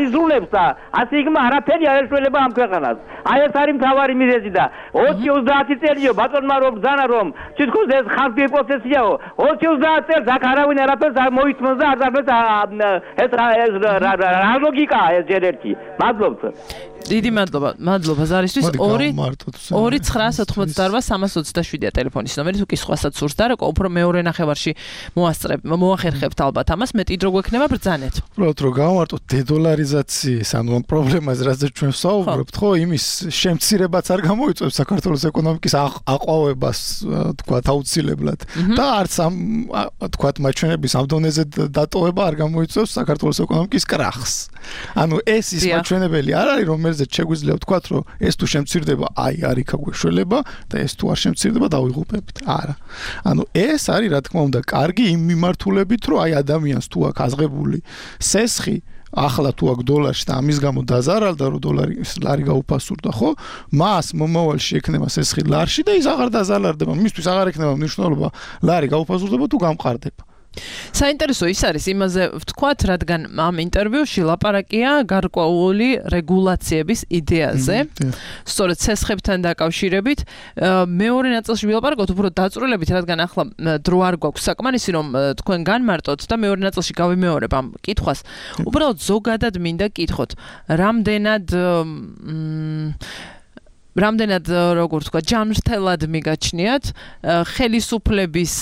იზრუნებს და ასე იქნება არაფერი არ ეშველება ამ ქვეყანას. აი ეს არის მთავარი მიზეზი და ოცი ოცდაათი წელიო ბატონმა რომ ბრძანა რომ თითქოს ეს ხალხი პროცესიაო ოცი ოცდაათი წელს აქ არავინ არაფერს არ მოითმოს და არ დაბეს ეს რა ლოგიკაა ეს ჯერ ერთი. მადლობთ. დიდი მადლობა, მადლობა ზარისთვის. ორი ორი ცხრაას ოთხმოცდაორვა სამას ოცდაშვიდია ტელეფონის ნომერი, თუ კისხვასაც სურს და როგორ უფრო მეორე ნახევარში მოასწრებ, მოახერხებთ ალბათ ამას, მეტი დრო გვექნება ბრძანეთ. უბრალოდ რომ გავმარტოთ დედოლარიზაციის, ანუ ამ პრობლემას, რაზეც ჩვენ ვსაუბრობთ, ხო, იმის შემცირებაც არ გამოიწვევს საქართველოს ეკონომიკის აყვავებას, თქვათ, აუცილებლად. და არც ამ თქვათ მაჩვენების ამ დონეზე დატოვება არ გამოიწვევს საქართველოს ეკონომიკის კრახს. ანუ ეს ის მაჩვენებელი არ არის, რომ შეგვიძლია ვთქვათ, რომ ეს თუ შემცირდება, აი არ იქა გვეშველება და ეს თუ არ შემცირდება, დავიღუპებით. არა. ანუ ეს არის, რა თქმა უნდა, კარგი იმ მიმართულებით, რომ აი ადამიანს თუ აქვს აღებული სესხი, ახლა თუ აქვს დოლარში და ამის გამო დაზარალდა, რომ დოლარი ლარი გაუფასურდა, ხო? მას მომავალში ექნება სესხი ლარში და ის აღარ დაზარალდება. მისთვის აღარ ექნება მნიშვნელობა ლარი გაუფასურდება თუ გამყარდება. საინტერესო ის არის იმაზე ვთქვათ, რადგან ამ ინტერვიუში ლაპარაკია გარკვეული რეგულაციების იდეაზე. სწორედ სესხებთან დაკავშირებით, მეორე ნაწილში ვილაპარაკოთ უფრო დაწვრილებით, რადგან ახლა დრო არ გვაქვს საკმარისი, რომ თქვენ განმარტოთ და მეორე ნაწილში გავიმეორებ ამ კითხვას. უბრალოდ ზოგადად მინდა კითხოთ, რამდენად რამდენად როგორ ვთქვა, ჯანმრთელად მიგაჩნიათ ხელისუფლების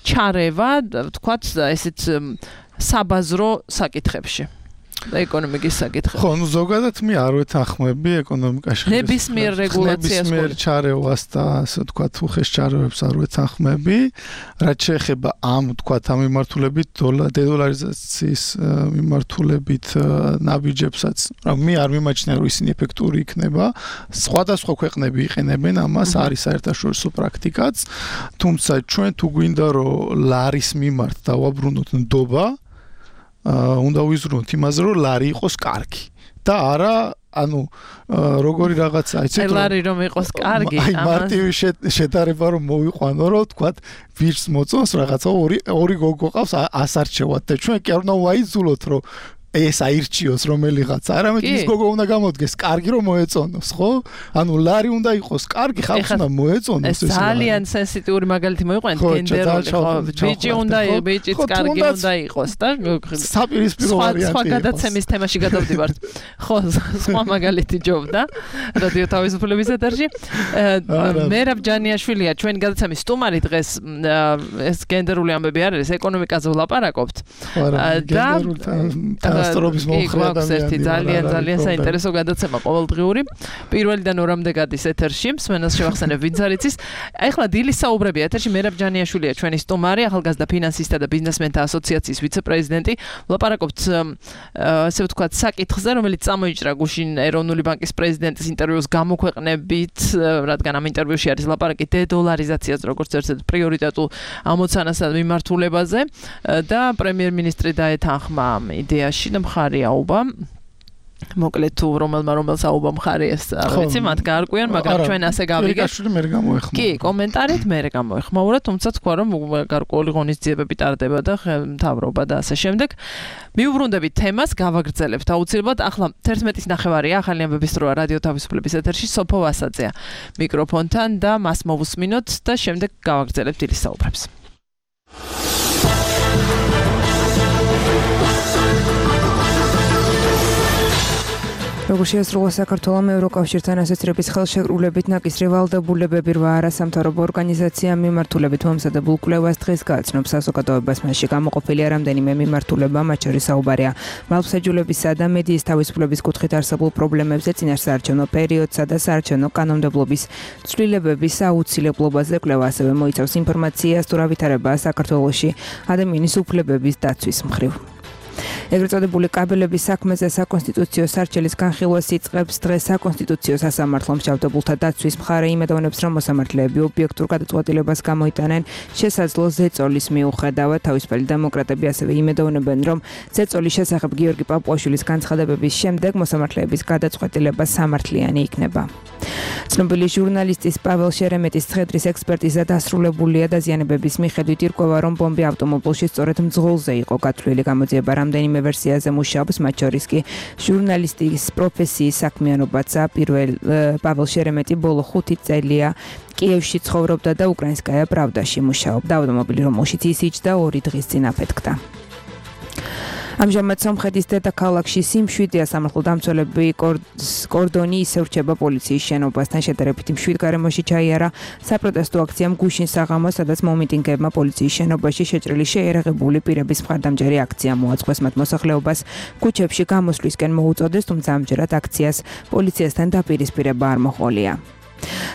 ჩარევა, ვთქვათ, ესეთ საბაზრო საკითხებში და ეკონომიკის საკითხებში. ხო, ნუ ზოგადად მე არ ვეთანხმები ეკონომიკაში ნებისმიერ რეგულაციას ნებისმიერ ჩარევას და ასე ვთქვათ, უხეშ ჩარევებს არ ვეთანხმები. რაც შეეხება ამ ვთქვათ, ამ მიმართულებით დედოლარიზაციის მიმართულებით ნაბიჯებსაც, რა მე არ მიმაჩნია, რომ ისინი ეფექტური იქნება. სხვადასხვა ქვეყნები იყენებენ ამას, არის საერთაშორისო პრაქტიკაც, თუმცა ჩვენ თუ გვინდა რომ ლარის მიმართ დავაბრუნოთ ნდობა, უნდა ვიზრუნოთ იმაზე, რომ ლარი იყოს კარგი და არა ანუ როგორი რაღაცა, იცით რომ ლარი რომ იყოს კარგი, აი მარტივი შედარება რომ მოვიყვანო, რომ თქვათ ვირს მოწონს რაღაცა ორი ორი გოგო ყავს ასარჩევად და ჩვენ კი არ უნდა ვაიძულოთ, რომ ეს აირჩიოს რომელიღაც, არამედ ის გოგო უნდა გამოდგეს კარგი რომ მოეწონოს, ხო? ანუ ლარი უნდა იყოს კარგი, ხალხს უნდა მოეწონოს ეს. ეს ძალიან სენსიტიური მაგალითი მოიყვანეთ გენდერული, ხო? ბიჭი უნდა, ბიჭიც კარგი უნდა იყოს და საპირისპირო ვარიანტი. სხვა გადაცემის თემაში გადავდივართ. ხო, სხვა მაგალითი ჯობდა რადიო თავისუფლების ეთერში. მერაბ ჯანიაშვილია ჩვენი გადაცემის სტუმარი დღეს. ეს გენდერული ამბები არ არის, ეკონომიკაზე ვლაპარაკობთ. და პასტორობის მომხრე ადამიანი. ძალიან ძალიან საინტერესო გადაცემა ყოველდღიური. პირველიდან ორამდე გადის ეთერში. მსმენელს შევახსენებ ვინც არ იცის. ეხლა დილის საუბრები ეთერში მერაბ ჯანიაშვილია ჩვენი სტუმარი, ახალგაზრდა ფინანსისტთა და ბიზნესმენთა ასოციაციის ვიცე-პრეზიდენტი. ვლაპარაკობთ ასე ვთქვათ საკითხზე, რომელიც წამოიჭრა გუშინ ეროვნული ბანკის პრეზიდენტის ინტერვიუს გამოქვეყნებით, რადგან ამ ინტერვიუში არის ლაპარაკი დედოლარიზაციას როგორც ერთ-ერთ პრიორიტეტულ ამოცანასა და მიმართულებაზე და პრემიერ-მინისტრი დაეთანხმა ამ იდეაში და მხარი აუბა. მოკლედ თუ რომელმა რომელს აუბა მხარი ეს არ ვიცი მათ გაარკვიან, მაგრამ ჩვენ ასე გავიგეთ. მე გამოეხმაურა. კი, კომენტარით მე გამოეხმაურა, თუმცა თქვა რომ გარკვეული ღონისძიებები ტარდება და მთავრობა და ასე შემდეგ. მიუბრუნდებით თემას, გავაგრძელებთ აუცილებლად. ახლა თერთმეტის ნახევარია, ახალი ამბების დროა რადიო თავისუფლების ეთერში სოფო ვასაძეა მიკროფონთან და მას მოვუსმინოთ და შემდეგ გავაგრძელებთ დილის საუბრებს. როგორც შეასრულა საქართველოს ევროკავშირთან ასოცირების ხელშეკრულებით ნაკისრი ვალდებულებები რვა არასამთავრობო ორგანიზაციამ მიმართულებით მომზადებულ კვლევას დღეს გააცნობს საზოგადოებას. მასში გამოყოფილია რამდენიმე მიმართულება, მათ შორის საუბარია მართლმსაჯულებისა და მედიის თავისუფლების კუთხით არსებულ პრობლემებზე, წინასაარჩევნო პერიოდსა და საარჩევნო კანონმდებლობის ცვლილებების აუცილებლობაზე. კვლევა ასევე მოიცავს ინფორმაციას თუ რა ვითარებაა საქართველოში ადამიანის უფლებების დაცვის მხრივ. ეგრეთ წოდებული კაბელების საქმეზე საკონსტიტუციო სარჩელის განხილვას იწყებს დღეს საკონსტიტუციო სასამართლომ. მსჯავრდებულთა დაცვის მხარე იმედოვნებს, რომ მოსამართლეები ობიექტურ გადაწყვეტილებას გამოიტანენ შესაძლო ზეწოლის მიუხედავად. თავისუფალი დემოკრატები ასევე იმედოვნებენ, რომ ზეწოლის შესახებ გიორგი პაპუაშვილის განცხადებების შემდეგ მოსამართლეების გადაწყვეტილება სამართლიანი იქნება. ცნობილი ჟურნალისტის პაվել შერემეტის ცხედრის ექსპერტიზა დასრულებულია. დაზიანებების მიხედვით ირკვევა, რომ ბომბი ავტომობილში სწორედ მძღოლზე იყო გათვლილი. გამოძიება რამდენიმე ვერსიაზე მუშაობს, მათ შორის კი ჟურნალისტის პროფესიის საქმიანობაცა. პირველ პაվել შერემეტი ბოლო ხუთი წელია კიევში ცხოვრობდა და უკრაინსკაია პრავდაში მუშაობდა. ავტომობილი რომელშიც ის იჯდა ორი დღის წინ აფეთქდა. ამჟამად სომხეთის დედაქალაქში სიმშვიდეა. სამართლო დამცველები კორდონი ისევ რჩება პოლიციის შენობასთან. შედარებით მშვიდ გარემოში ჩაიარა საპროტესტო აქციამ გუშინ საღამოს, სადაც მომიტინგეებმა პოლიციის შენობაში შეჭრილი შეიარაღებული პირების მხარდამჭერი აქცია მოაწყოს. მათ მოსახლეობას ქუჩებში გამოსვლისკენ მოუწოდეს, თუმცა ამჯერად აქციას პოლიციასთან დაპირისპირება არ მოჰყოლია.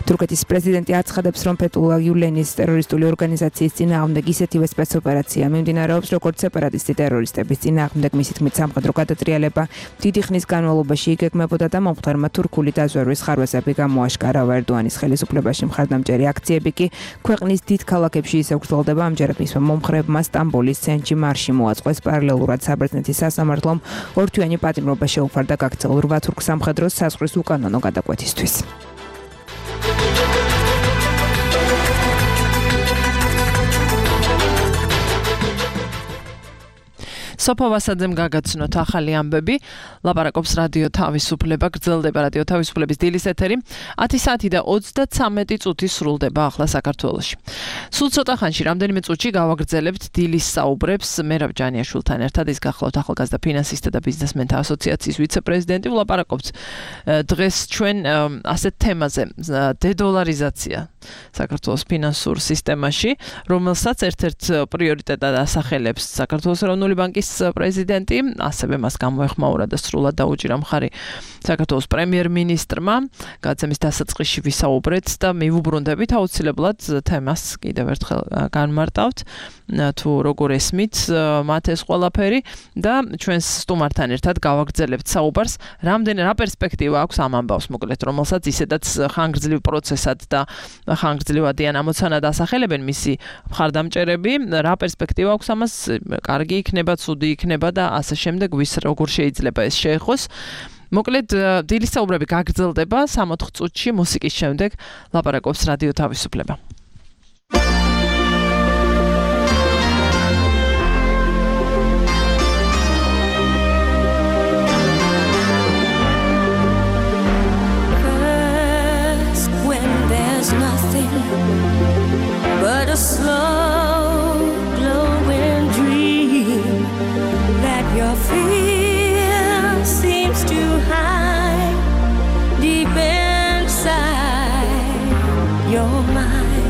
თურქეთის პრეზიდენტი აცხადებს, რომ ფეთულლა გიულენის ტერორისტული ორგანიზაციის წინააღმდეგ ისეთივე სპეცოპერაცია მიმდინარეობს, როგორც სეპარატისტი ტერორისტების წინააღმდეგ. მისი თქმით, სამხედრო გადატრიალება დიდი ხნის განმავლობაში იგეგმებოდა და მომხდარმა თურქული დაზვერვის ხარვეზები გამოაშკარავა. ერდოანის ხელისუფლებაში მხარდამჭერი აქციები კი ქვეყნის დიდ ქალაქებში ისევ გრძელდება. ამჯერად მისმა მომხრეებმა სტამბოლის ცენტრში მარში მოაწყოს. პარალელურად საბერძნეთის სასამართლომ ორთვიანი პატიმრობა შეუფარდა გაქცეულ რვა თურქ სამხედროს საზღვრის უკანონო გადაკვეთისთვის. სოფო ვასაძემ გაგაცნოთ ახალი ამბები. ლაპარაკობს რადიო თავისუფლება, გრძელდება რადიო თავისუფლების დილის ეთერი. ათი საათი და ოცდათსამეტი წუთი სრულდება ახლა საქართველოში. სულ ცოტა ხანში რამდენიმე წუთში გავაგრძელებთ დილის საუბრებს მერაბ ჯანიაშვილთან ერთად. ის გახლავთ ახალგაზრდა ფინანსისტთა და ბიზნესმენთა ასოციაციის ვიცე-პრეზიდენტი. ვლაპარაკობთ დღეს ჩვენ ასეთ თემაზე, დედოლარიზაცია საქართველოს ფინანსურ სისტემაში, რომელსაც ერთ-ერთ პრიორიტეტად ასახელებს საქართველოს ეროვნული ბანკის პრეზიდენტი, ასევე მას გამოეხმაურა და სრულად დაუჭირა მხარი საქართველოს პრემიერ-მინისტრმა. გადაცემის დასაწყისში ვისაუბრეთ და მივუბრუნდებით აუცილებლად თემას კიდევ ერთხელ განმარტავთ, თუ როგორ ესმით მათ ეს ყველაფერი და ჩვენს სტუმართან ერთად გავაგრძელებთ საუბარს, რამდენი რა პერსპექტივა აქვს ამ ამბავს, მოკლედ, რომელსაც ისედაც ხანგრძლივ პროცესად და ხანგრძლივადიან ამოცანად ასახელებენ მისი მხარდამჭერები, რა პერსპექტივა აქვს ამას, კარგი იქნება, ცუდი იქნება და ასე შემდეგ, ვის როგორ შეიძლება ეს შეეხოს. მოკლედ, დილის საუბრები გაგრძელდება სამოთხ წუთში მუსიკის შემდეგ ლაპარაკობს რადიო თავისუფლება. But a slow glowing dream that your fear seems to hide deep inside your mind.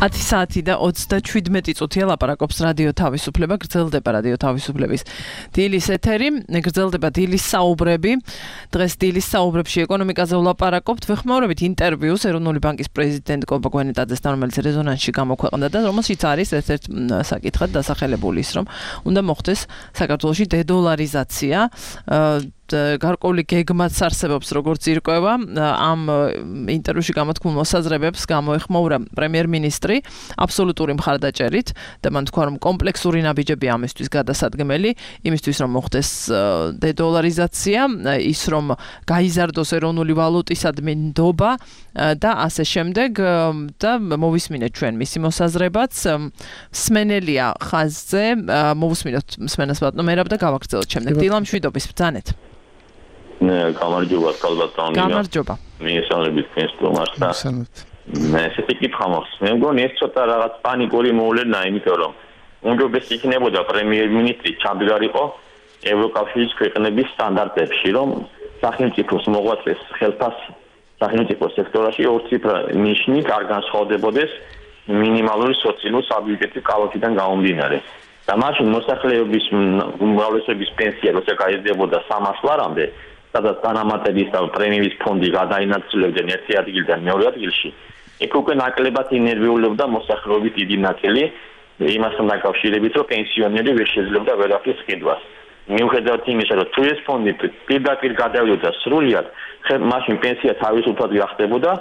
ათი საათი და ოცდაშვიდმეტი წუთია ლაპარაკობს რადიო თავისუფლება, გრძელდება რადიო თავისუფლების დილის ეთერი, გრძელდება დილის საუბრები. დღეს დილის საუბრებში ეკონომიკაზე ვლაპარაკობთ, ვეხმაურებით ინტერვიუს ეროვნული ბანკის პრეზიდენტ კობა გვენეტაძესთან, რომელიც რეზონანსში გამოქვეყნდა და რომელშიც არის ერთ-ერთ საკითხად დასახელებული ის, რომ უნდა მოხდეს საქართველოში დედოლარიზაცია. გარკვეული გეგმაც არსებობს, როგორც ირკვევა, ამ ინტერვიუში გამოთქმულ მოსაზრებებს გამოეხმაურა პრემიერ-მინისტრი აბსოლუტური მხარდაჭერით და მან თქვა, რომ კომპლექსური ნაბიჯები ამისთვის გადასადგმელი, იმისთვის რომ მოხდეს დედოლარიზაცია, ის რომ გაიზარდოს ეროვნული ვალუტისადმი ნდობა და ასე შემდეგ და მოვისმინეთ ჩვენ მისი მოსაზრებაც. მსმენელია ხაზზე, მოვუსმინოთ მსმენელს ბატონო მერაბ და გავაგრძელოთ შემდეგ. დილა მშვიდობის ბრძანეთ. გამარჯობა, კალბატონია. გამარჯობა. მიესალმებით თქვენს სტუმარს და მე ესეთი კითხვა მაქვს. მე მგონი ეს ცოტა რაღაც პანიკური მოვლენა, იმიტომ რომ უმჯობესი იქნებოდა პრემიერ-მინისტრი ჩამდგარიყო ევროკავშირის ქვეყნების სტანდარტებში, რომ სახელმწიფოს მოღვაწეს ხელფასი სახელმწიფო სექტორში ორ ციფრა ნიშნი არ განსხვავდებოდეს მინიმალური სოციალური საბიუჯეტო კალათიდან გამომდინარე. და მაშინ მოსახლეობის უმრავლესობის პენსია როცა გაიზრდებოდა სამას ლარამდე, სადაც დანამატების და პრემიის ფონდი გადაინაცვლებდნენ ერთი ადგილიდან მეორე ადგილში, იქ უკვე ნაკლებად ინერვიულობდა მოსახლეობის დიდი ნაწილი იმასთან დაკავშირებით, რომ პენსიონერი ვერ შეძლებდა ვერაფრის ყიდვას. მიუხედავად იმისა, რომ თუ ეს ფონდი პირდაპირ გადავიდოდა სრულად, მაშინ პენსია თავისუფლად გახდებოდა,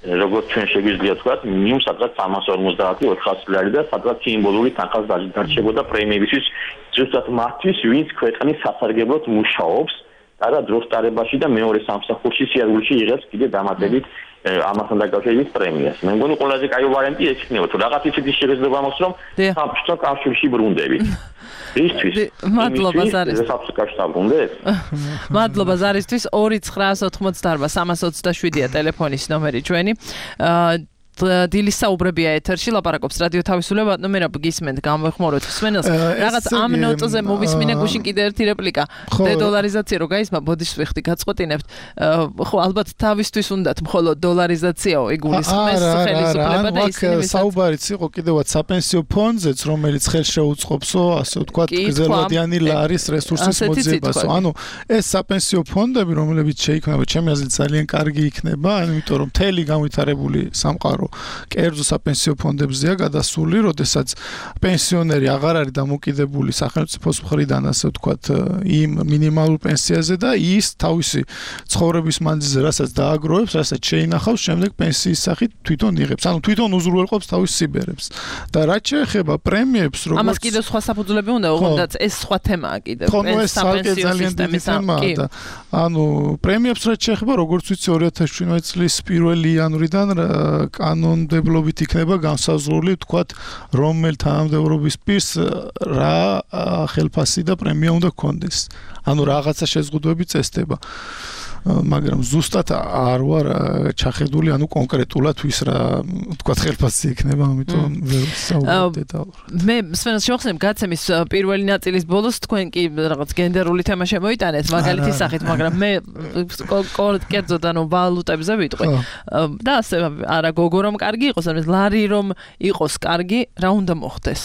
როგორც ჩვენ შეგვიძლია თქვა, მინიმუმ სადღაც სამას ორმოცდაათი ოთხასი ლარი და სადღაც სიმბოლური თანხას დარჩებოდა პრემიებისთვის, ზუსტად მათთვის, ვინც ქვეყნის სასარგებლოდ მუშაობს და დროს ტარებაში და მეორე სამსახურში სიარულში იღებს კიდე დამატებით ამასთან დაკავშირებით პრემიას. მე მგონი ყველაზე კაი ვარიანტი ეს იქნება, თუ რაღაც ისეთი შეხედულება მაქვს, რომ საბჭოთა კავშირში ბრუნდებით. ისთვის მადლობა ზარისთვის. საბჭოთა კავშირში დაბრუნდეთ. მადლობა ზარისთვის. ორი ცხრაას ოცდაოთხმოცდაარბა სამას ოცდაშვიდია ტელეფონის ნომერი ჩვენი. დილის საუბრებია ეთერში, ლაპარაკობს რადიო თავისუფლება, ნუ მერაბ გისმენთ, გამოეხმაუროთ მსმენელს. რაღაც ამ ნოტზე მოვისმინე გუშინ კიდე ერთი რეპლიკა. დედოლარიზაცია რო გაისმა, ბოდიშს ვიხდი გაწყვეტინებთ. ხო, ალბათ თავისთვის უნდათ მხოლოდ დოლარიზაციაო, იგულისხმეს ხელისუფლება და ისინი ვისაც საუბარიც იყო კიდევაც საპენსიო ფონდზეც, რომელიც ხელს შეუწყობსო, ასე ვთქვათ, გრძელვადიანი ლარის რესურსის მოძიებასო. ანუ ეს საპენსიო ფონდები, რომლებიც შეიქმნება, ჩემი აზრით ძალიან კარგი იქნება, იმიტომ რომ მთელი განვითარებული სამყარო კერძო საპენსიო ფონდებზეა გადასული, როდესაც პენსიონერი აღარ არის დამოკიდებული სახელმწიფოს მხრიდან, ასე ვთქვათ, იმ მინიმალურ პენსიაზე და ის თავისი ცხოვრების მანძილზე, რასაც დააგროვებს, რასაც შეინახავს, შემდეგ პენსიის სახით თვითონ იღებს. ანუ თვითონ უზრუნველყოფს თავის სიბერებს. და რაც შეეხება პრემიებს, როგორც ამას კიდევ სხვა საფუძვლები უნდა, ოღონდ ეს სხვა თემაა კიდევ. პენსიო სისტემის და ანუ პრემიებს რაც შეეხება, როგორც ვიცი, ორი ათას შვიდმეტი წლის პირველი იანვრიდან კანონმდებლობით იქნება განსაზღვრული, თქვათ, რომელ თანამდებობის პირს რა ხელფასი და პრემია უნდა ჰქონდეს. ანუ რაღაცა შეზღუდვები წესდება. მაგრამ ზუსტად არ ვარ ჩახედული, ანუ კონკრეტულად ვის რა, თქვათ, ხელფასი იქნება, ამიტომ ვერ ვსაუბრობ დეტალურად. მე მსმენელს შევხსენებ გაცემის პირველი ნაწილის ბოლოს თქვენ კი რაღაც გენდერული თემა შემოიტანეთ, მაგალითის სახით, მაგრამ მე კერძოდ ანუ ვალუტებზე ვიტყვი. და ასე არა გოგო რომ კარგი იყოს, ანუ ლარი რომ იყოს კარგი, რა უნდა მოხდეს?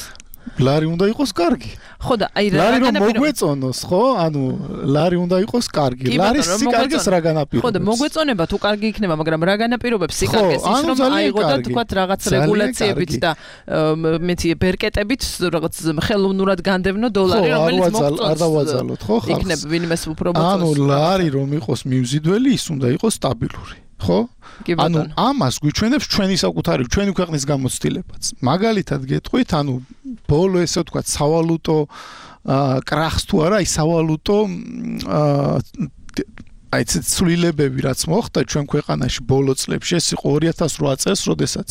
ლარი უნდა იყოს კარგი. ხო და აი რა ლარი რომ მოგვეწონოს, ხო? ანუ ლარი უნდა იყოს კარგი. ლარის სიკარგეს რა განაპირობებს? ხო და მოგვეწონება თუ კარგი იქნება, მაგრამ რა განაპირობებს სიკარგეს? ის რომ აიღო და თქვათ რაღაც რეგულაციებით და მეცი ბერკეტებით რაღაც ხელოვნურად განდევნო დოლარი, რომელიც მოგვწონს. არ დავაძალოთ, ხო ხალხს? იქნება ვინმეს უფრო მოწონს. ანუ ლარი რომ იყოს მიმზიდველი, ის უნდა იყოს სტაბილური. ხო? ანუ ამას გვიჩვენებს ჩვენი საკუთარი, ჩვენი ქვეყნის გამოცდილებაც. მაგალითად გეტყვით, ანუ ბოლო ესე ვთქვათ, სავალუტო კრახს თუ არა, ის სავალუტო აი ეს ცვლილებები რაც მოხდა ჩვენ ქვეყანაში ბოლო წლებში, ეს იყო ორი ათას ოთხ წელს, როდესაც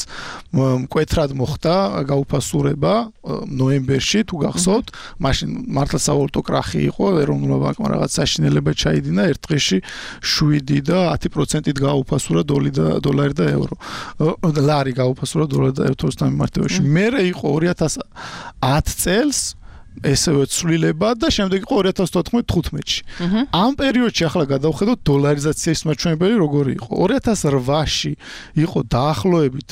მკვეთრად მოხდა გაუფასურება ნოემბერში, თუ გახსოვთ, მაშინ მართლა სავალუტო კრახი იყო, ეროვნულმა ბანკმა რაღაც საშინელება ჩაიდინა, ერთ დღეში შვიდი და ათი პროცენტით გაუფასურა დოლარი და ევრო. ლარი გაუფასურა დოლარი და ევროს დამემართებაში. მერე იყო ორი ათას ათი წელს ესევე ცვლილება და შემდეგ იყო ორი ათას თოთხმეტ თხუთმეტში. ამ პერიოდში ახლა გადავხედოთ დოლარიზაციის მაჩვენებელი როგორი იყო. ორი ათას რვაში იყო დაახლოებით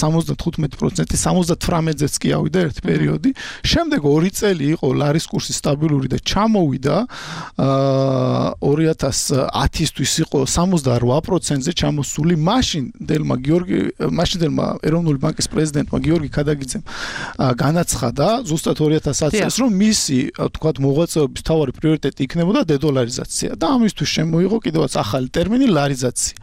სამოცდათხუთმეტი პროცენტი, სამოცდათვრამეტზეც კი ავიდა ერთი პერიოდი. შემდეგ ორი წელი იყო ლარის კურსი სტაბილური და ჩამოვიდა ორი ათას ათისთვის იყო სამოცდარვა პროცენტზე ჩამოსული. მაშინ დელმა გიორგი მაშინ დელმა ეროვნული ბანკის პრეზიდენტმა გიორგი ქადაგიძემ განაცხადა ზუსტად ორი ათას ათი წელს რომ მისი თქვათ მოღვაწეობის მთავარი პრიორიტეტი იქნებოდა დედოლარიზაცია და ამისთვის შემოიღო კიდევაც ახალი ტერმინი ლარიზაცია.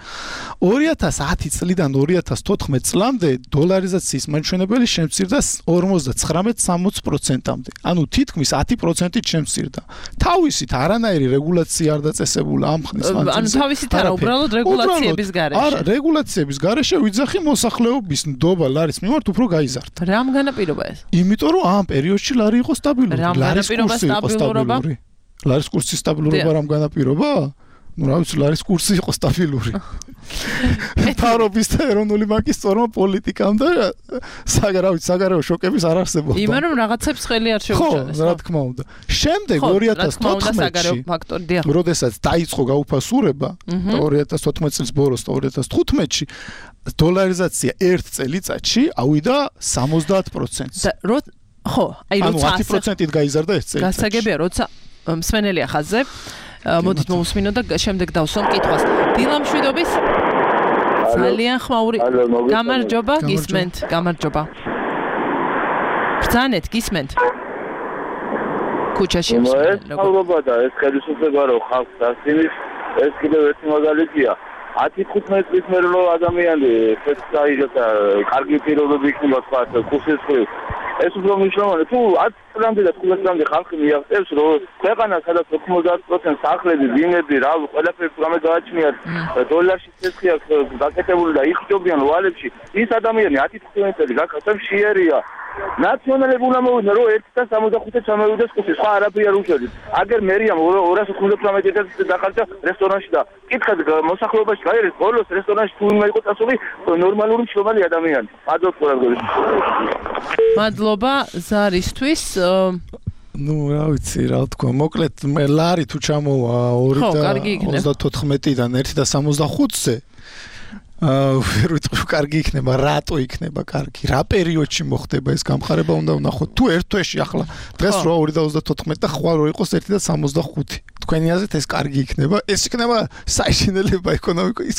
ორი ათას ათი წლიდან ორი ათას თოთხმეტ წლამდე დოლარიზაციის მაჩვენებელი შემცირდა ორმოცდაცხრამეტ სამოცდ პროცენტამდე. ანუ თითქმის ათი პროცენტით შემცირდა. თავისით არანაირი რეგულაცია არ დაწესებულა ამ ხნის მანძილზე. ანუ თავისით არა, უბრალოდ რეგულაციების გარეშე. არა, რეგულაციების გარეშე ვიძახი მოსახლეობის ნდობა ლარის მიმართ უფრო გაიზარდა. რამ განაპირობა ეს? იმიტომ რომ ამ პერიოდში ლარი იყო სტაბილური. ლარის კურსი იყო სტაბილური. ლარის კურსის სტაბილურობა რამ განაპირობა? ну რა ვიცი ლარის კურსი იყო სტაბილური. მთავრობის და ეროვნული ბანკის სწორმა პოლიტიკამ და საგარავით საგარეო შოკების არ არსებობდა. იმან რომ რაღაცებს ხელი არ შეუჭრეს. ხო, რა თქმა უნდა. შემდეგ ორი ათას თოთხმეტში, როდესაც დაიწყო გაუფასურება და ორი ათას თოთხმეტ წლის ბოლოს და ორი ათას თხუთმეტში დოლარიზაცია ერთ წელიწადში ავიდა სამოცდაათ პროცენტს. ხო, აი როცა ანუ ათი პროცენტით გაიზარდა ეს წელიწადში. გასაგებია, როცა მსმენელია ხაზზე მოდით მოვუსმინო და შემდეგ დავსვამ კითხვას. დილა მშვიდობის ძალიან ხმაური გამარჯობა, გისმენთ, გამარჯობა. ბრძანეთ, გისმენთ. ქუჩაში მოგესალმება და ეს ხელისუფლება რო ხალხს დასცინის, ეს კიდევ ერთი მაგალითია. ათი თხუთმეტ წლის მერე რო ადამიანი ფეცაიღებს და კარგი პირობები იქნება თქვა კურსის ხრივ. ეს უფრო მნიშვნელოვანია. თუ ათი წლამდე და თხუთმეტ წლამდე ხალხი მიაღწევს, რომ ქვეყანა სადაც ოცდაათ პროცენტს სახლები, ვინები, რა, ყველაფერი პროგრამა გააჩნიათ, დოლარში ცეცხლი აქვს გაკეთებული და იხჯობიან ვალებში, ის ადამიანი ათი თხუთმეტ წელი გაკეთებს შეერია. ნაციონალები უნდა მოვიდნენ, რომ ერთი და სამოცდახუთი ჩამოვიდეს კურსი, სხვა არაფერი არ უშევდით. აგერ მერიამ ორას ოცდათხმეტ წელს დახარჯა რესტორანში და კითხეთ მოსახლეობაში გაერეს ბოლოს რესტორანში თუ უნდა იყოს წასული ნორმალური მშრომელი ადამიანი. მადლობა ყველაფერს. მადლობა ზარისთვის. ну რა ვიცი რა თქვა მოკლედ მე ლარი თუ ჩამოვა ორი და ოცდათოთხმეტიდან ერთი და სამოცდახუთზე აა ვერ ვიტყვი კარგი იქნება რატო იქნება კარგი რა პერიოდში მოხდება ეს გამხარება უნდა ვნახოთ თუ ერთ თვეში ახლა დღეს რო ორი და ოცდათოთხმეტი და ხვალ რო იყოს ერთი და სამოცდახუთი თქვენი აზრით ეს კარგი იქნება ეს იქნება საშინელება ეკონომიკის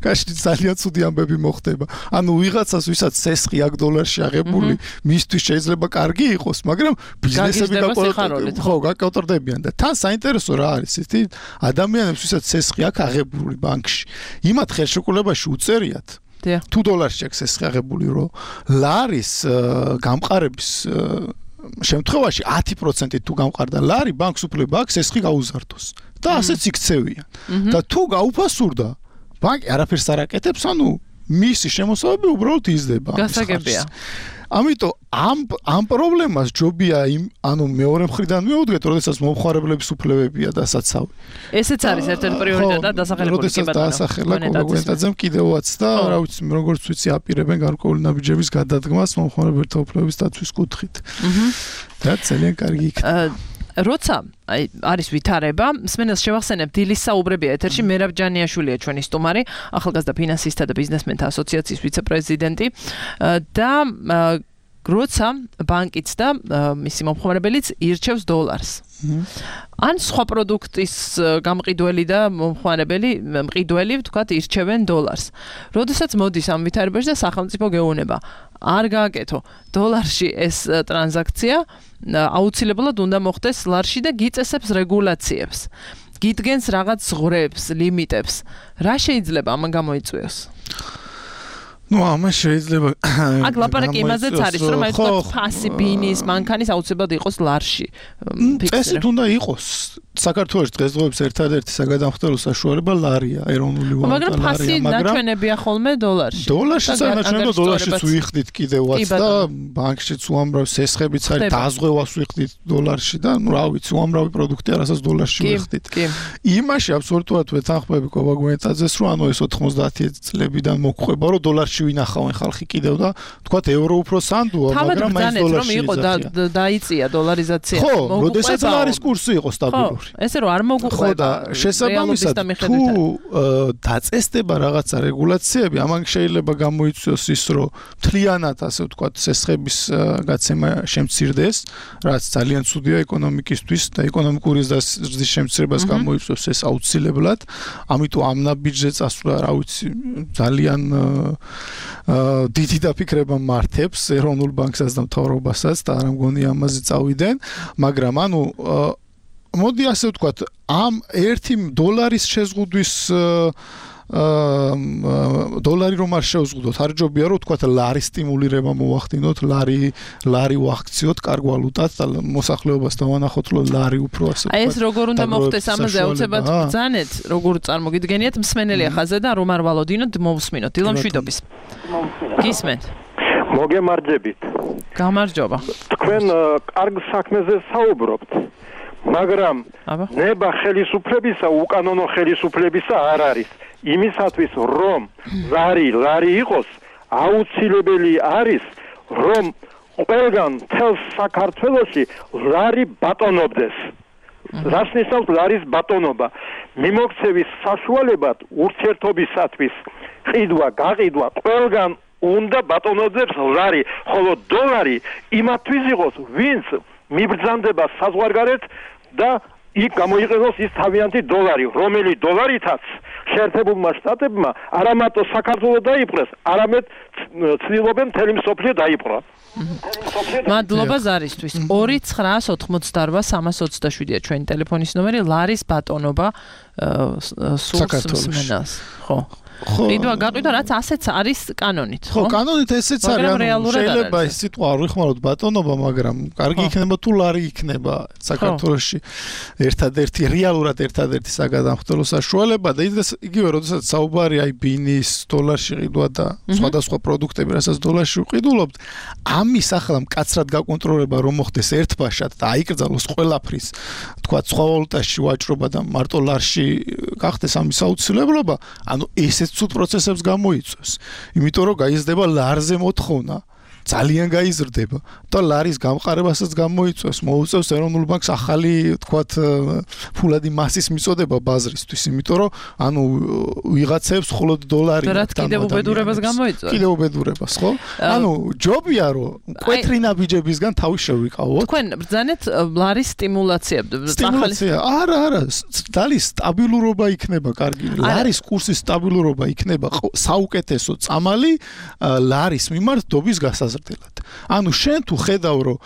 გაშლით ძალიან ცუდი ამბები მოხდება ანუ ვიღაცას ვისაც სესხი აქ დოლარში აღებული მისთვის შეიძლება კარგი იყოს მაგრამ ბიზნესები ხო გაკავტრდებიან და თან საინტერესო რა არის იცით ადამიანებს ვისაც სესხი აქ აღებული ბანკში იმათ ხელშეკრულებაში წერიათ თუ დოლარში აქვს ეს აღებული რომ ლარის გამყარების შემთხვევაში ათი პროცენტით თუ გამყარდა ლარი ბანკს უფლება აქვს ეს ხი გაუზარდოს და ასეც იქცევიან და თუ გაუფასურდა ბანკი არაფერს არ აკეთებს ანუ მისი შემოსავები უბრალოდ იზრდება გასაგებია ამიტომ ამ ამ პრობლემას ჯობია იმ ანუ მეორე მხრიდან მივუდგეთ, როდესაც მომხმარებლების უფლებებია დასაცავი. ესეც არის ერთ-ერთი პრიორიტეტი და დასახელებული კი ბატონო. დასახელა კონკრეტაძემ კიდევაც და რა ვიცი, როგორც ვიცი, აპირებენ გარკვეული ნაბიჯების გადადგმას მომხმარებელთა უფლებების დაცვის კუთხით. აჰა. და ძალიან კარგი იქნება. როცა აი არის ვითარება, მსმენელს შევახსენებ დილის საუბრებია ეთერში მერაბ ჯანიაშვილია ჩვენი სტუმარი, ახალგაზრდა ფინანსისტთა და ბიზნესმენთა ასოციაციის ვიცე-პრეზიდენტი და როცა ბანკიც და მისი მომხმარებელიც ირჩევს დოლარს. ან სხვა პროდუქტის გამყიდველი და მომხმარებელი მყიდველი ვთქვათ ირჩევენ დოლარს. როდესაც მოდის ამ ვითარებაში და სახელმწიფო გეუბნება არ გააკეთო დოლარში ეს ტრანზაქცია აუცილებლად უნდა მოხდეს ლარში და გიწესებს რეგულაციებს. გიდგენს რაღაც ზღვრებს, ლიმიტებს. რა შეიძლება ამან გამოიწვიოს? ну ამას შეიძლება აქ ლაპარაკი იმაზეც არის რომ აი თქვა ფასი ბინის მანქანის აუცილებლად იყოს ლარში წესით უნდა იყოს საქართველოს დღესდღეობის ერთადერთი საგადამხდელო საშუალება ლარია ეროვნული ვალუტა მაგრამ ფასი ნაჩვენებია ხოლმე დოლარში დოლარში ნაჩვენებია დოლარშიც ვიხდით კიდევაც და ბანკშიც უამრავ სესხებიც არის დაზღვევას ვიხდით დოლარში და ну რა ვიცი უამრავი პროდუქტი არასაც დოლარში ვიხდით იმაში აბსოლუტურად ვეთანხმები კობაგუენტაძეს რომ ანუ ეს ოთხმოცდაათი წლებიდან მოგვხება რომ დოლარში დოლარში ვინახავენ ხალხი კიდევ და თქვათ ევრო უფრო სანდუა, მაგრამ მაინც დოლარში იყო დაიწია დოლარიზაცია. ხო, როდესაც ლარის კურსი იყო სტაბილური. ესე რომ არ მოგუყვება. ხო და შესაბამისად თუ დაწესდება რაღაცა რეგულაციები, ამან შეიძლება გამოიწვიოს ის, რომ მთლიანად ასე ვთქვათ, სესხების გაცემა შემცირდეს, რაც ძალიან ცუდია ეკონომიკისთვის და ეკონომიკური ზრდის შემცირებას გამოიწვევს ეს აუცილებლად. ამიტომ ამ ნაბიჯზე წასვლა, რა ვიცი, ძალიან დიდი დაფიქრება მართებს ეროვნულ ბანკსაც და მთავრობასაც და არ მგონი ამაზე წავიდნენ, მაგრამ ანუ მოდი ასე ვთქვათ, ამ ერთი დოლარის შეზღუდვის დოლარი რომ არ შევზღუდოთ, არ ჯობია რომ ვთქვათ ლარის სტიმულირება მოვახდინოთ, ლარი ლარი ვაქციოთ კარგ ვალუტად და მოსახლეობას დავანახოთ, რომ ლარი უფრო ასე ვთქვათ. აი ეს როგორ უნდა მოხდეს ამაზე აუცილებლად ბრძანეთ, როგორ წარმოგიდგენიათ მსმენელი ახაზე და რომ არ ვალოდინოთ, მოვსმინოთ. დილა მშვიდობის. გისმენთ. მოგემარჯებით. გამარჯობა. თქვენ კარგ საქმეზე საუბრობთ. მაგრამ ნება ხელისუფლებისა უკანონო ხელისუფლებისა არ არის. იმისათვის რომ ლარი ლარი იყოს, აუცილებელი არის რომ ყველგან თელ საქართველოში ლარი ბატონობდეს. რას ნიშნავს ლარის ბატონობა? მიმოქცევის საშუალებად ურთიერთობისათვის ყიდვა, გაყიდვა ყველგან უნდა ბატონობდეს ლარი, ხოლო დოლარი იმათვის იყოს, ვინც მიბრძანდება საზღვარგარეთ და იქ გამოიყენოს ის თავიანთი დოლარი, რომელი დოლარითაც შეერთებულმა შტატებმა არა მარტო საქართველოს დაიპყრეს, არამედ ცდილობენ მთელი მსოფლიო დაიპყრო. მადლობა ზარისთვის. ორი ცხრაას ოთხმოცდაორვა სამას ოცდაშვიდია ჩვენი ტელეფონის ნომერი, ლარის ბატონობა სულს მსმენელს. ხო. ყიდვა გაყიდვა რაც ასეც არის კანონით, ხო? ხო, კანონით ესეც არის, ანუ შეიძლება ეს სიტყვა არ ვიხმაროთ ბატონობა, მაგრამ კარგი იქნება თუ ლარი იქნება საქართველოში ერთადერთი რეალურად ერთადერთი საგადამხდელო საშუალება და იგივე როდესაც საუბარი აი ბინის დოლარში ყიდვა და სხვადასხვა პროდუქტები, რასაც დოლარში ვყიდულობთ, ამის ახლა მკაცრად გაკონტროლება რომ მოხდეს ერთბაშად და აიკრძალოს ყველაფრის, თქვა სხვა ვალუტაში ვაჭრობა და მარტო ლარში გახდეს ამის აუცილებლობა, ანუ ეს ცუდ პროცესებს გამოიწვევს. იმიტომ რომ გაიზრდება ლარზე მოთხოვნა, ძალიან გაიზრდება და ლარის გამყარებასაც გამოიწვევს, მოუწევს ეროვნულ ბანკს ახალი, თქვათ, ფულადი მასის მიწოდება ბაზრისთვის, იმიტომ რომ ანუ ვიღაცებს მხოლოდ დოლარი და რაც კიდევ უბედურებას გამოიწვევს. კიდევ უბედურებას, ხო? ანუ ჯობია რომ კვეთრი ნაბიჯებისგან თავი შევიკავოთ. თქვენ ბრძანეთ ლარის სტიმულაცია. სტიმულაცია. არა, არა, დალის სტაბილურობა იქნება კარგი. ლარის კურსის სტაბილურობა იქნება საუკეთესო წამალი ლარის მიმართ დობის გასაზრდელად. ანუ შენ თუ ხედავ რომ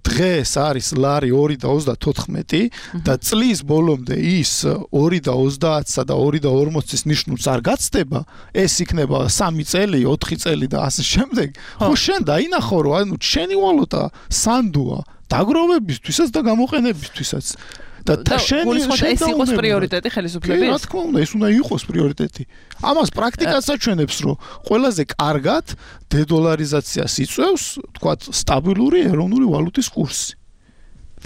დღეს არის ლარი ორი და ოცდათოთხმეტი და წლის ბოლომდე ის ორი და ოცდაათსა და ორი და ორმოცის ნიშნულს არ გაცდება, ეს იქნება სამი წელი, ოთხი წელი და ასე შემდეგ. ხო შენ დაინახო რომ ანუ შენი ვალუტა სანდუა დაგროვებისთვისაც და გამოყენებისთვისაც. და შენი ეს იყოს პრიორიტეტი ხელისუფლების? რა თქმა უნდა, ეს უნდა იყოს პრიორიტეტი. ამას პრაქტიკაც აჩვენებს, რომ ყველაზე კარგად დედოლარიზაციას იწვევს, თქვათ, სტაბილური ეროვნული ვალუტის კურსი.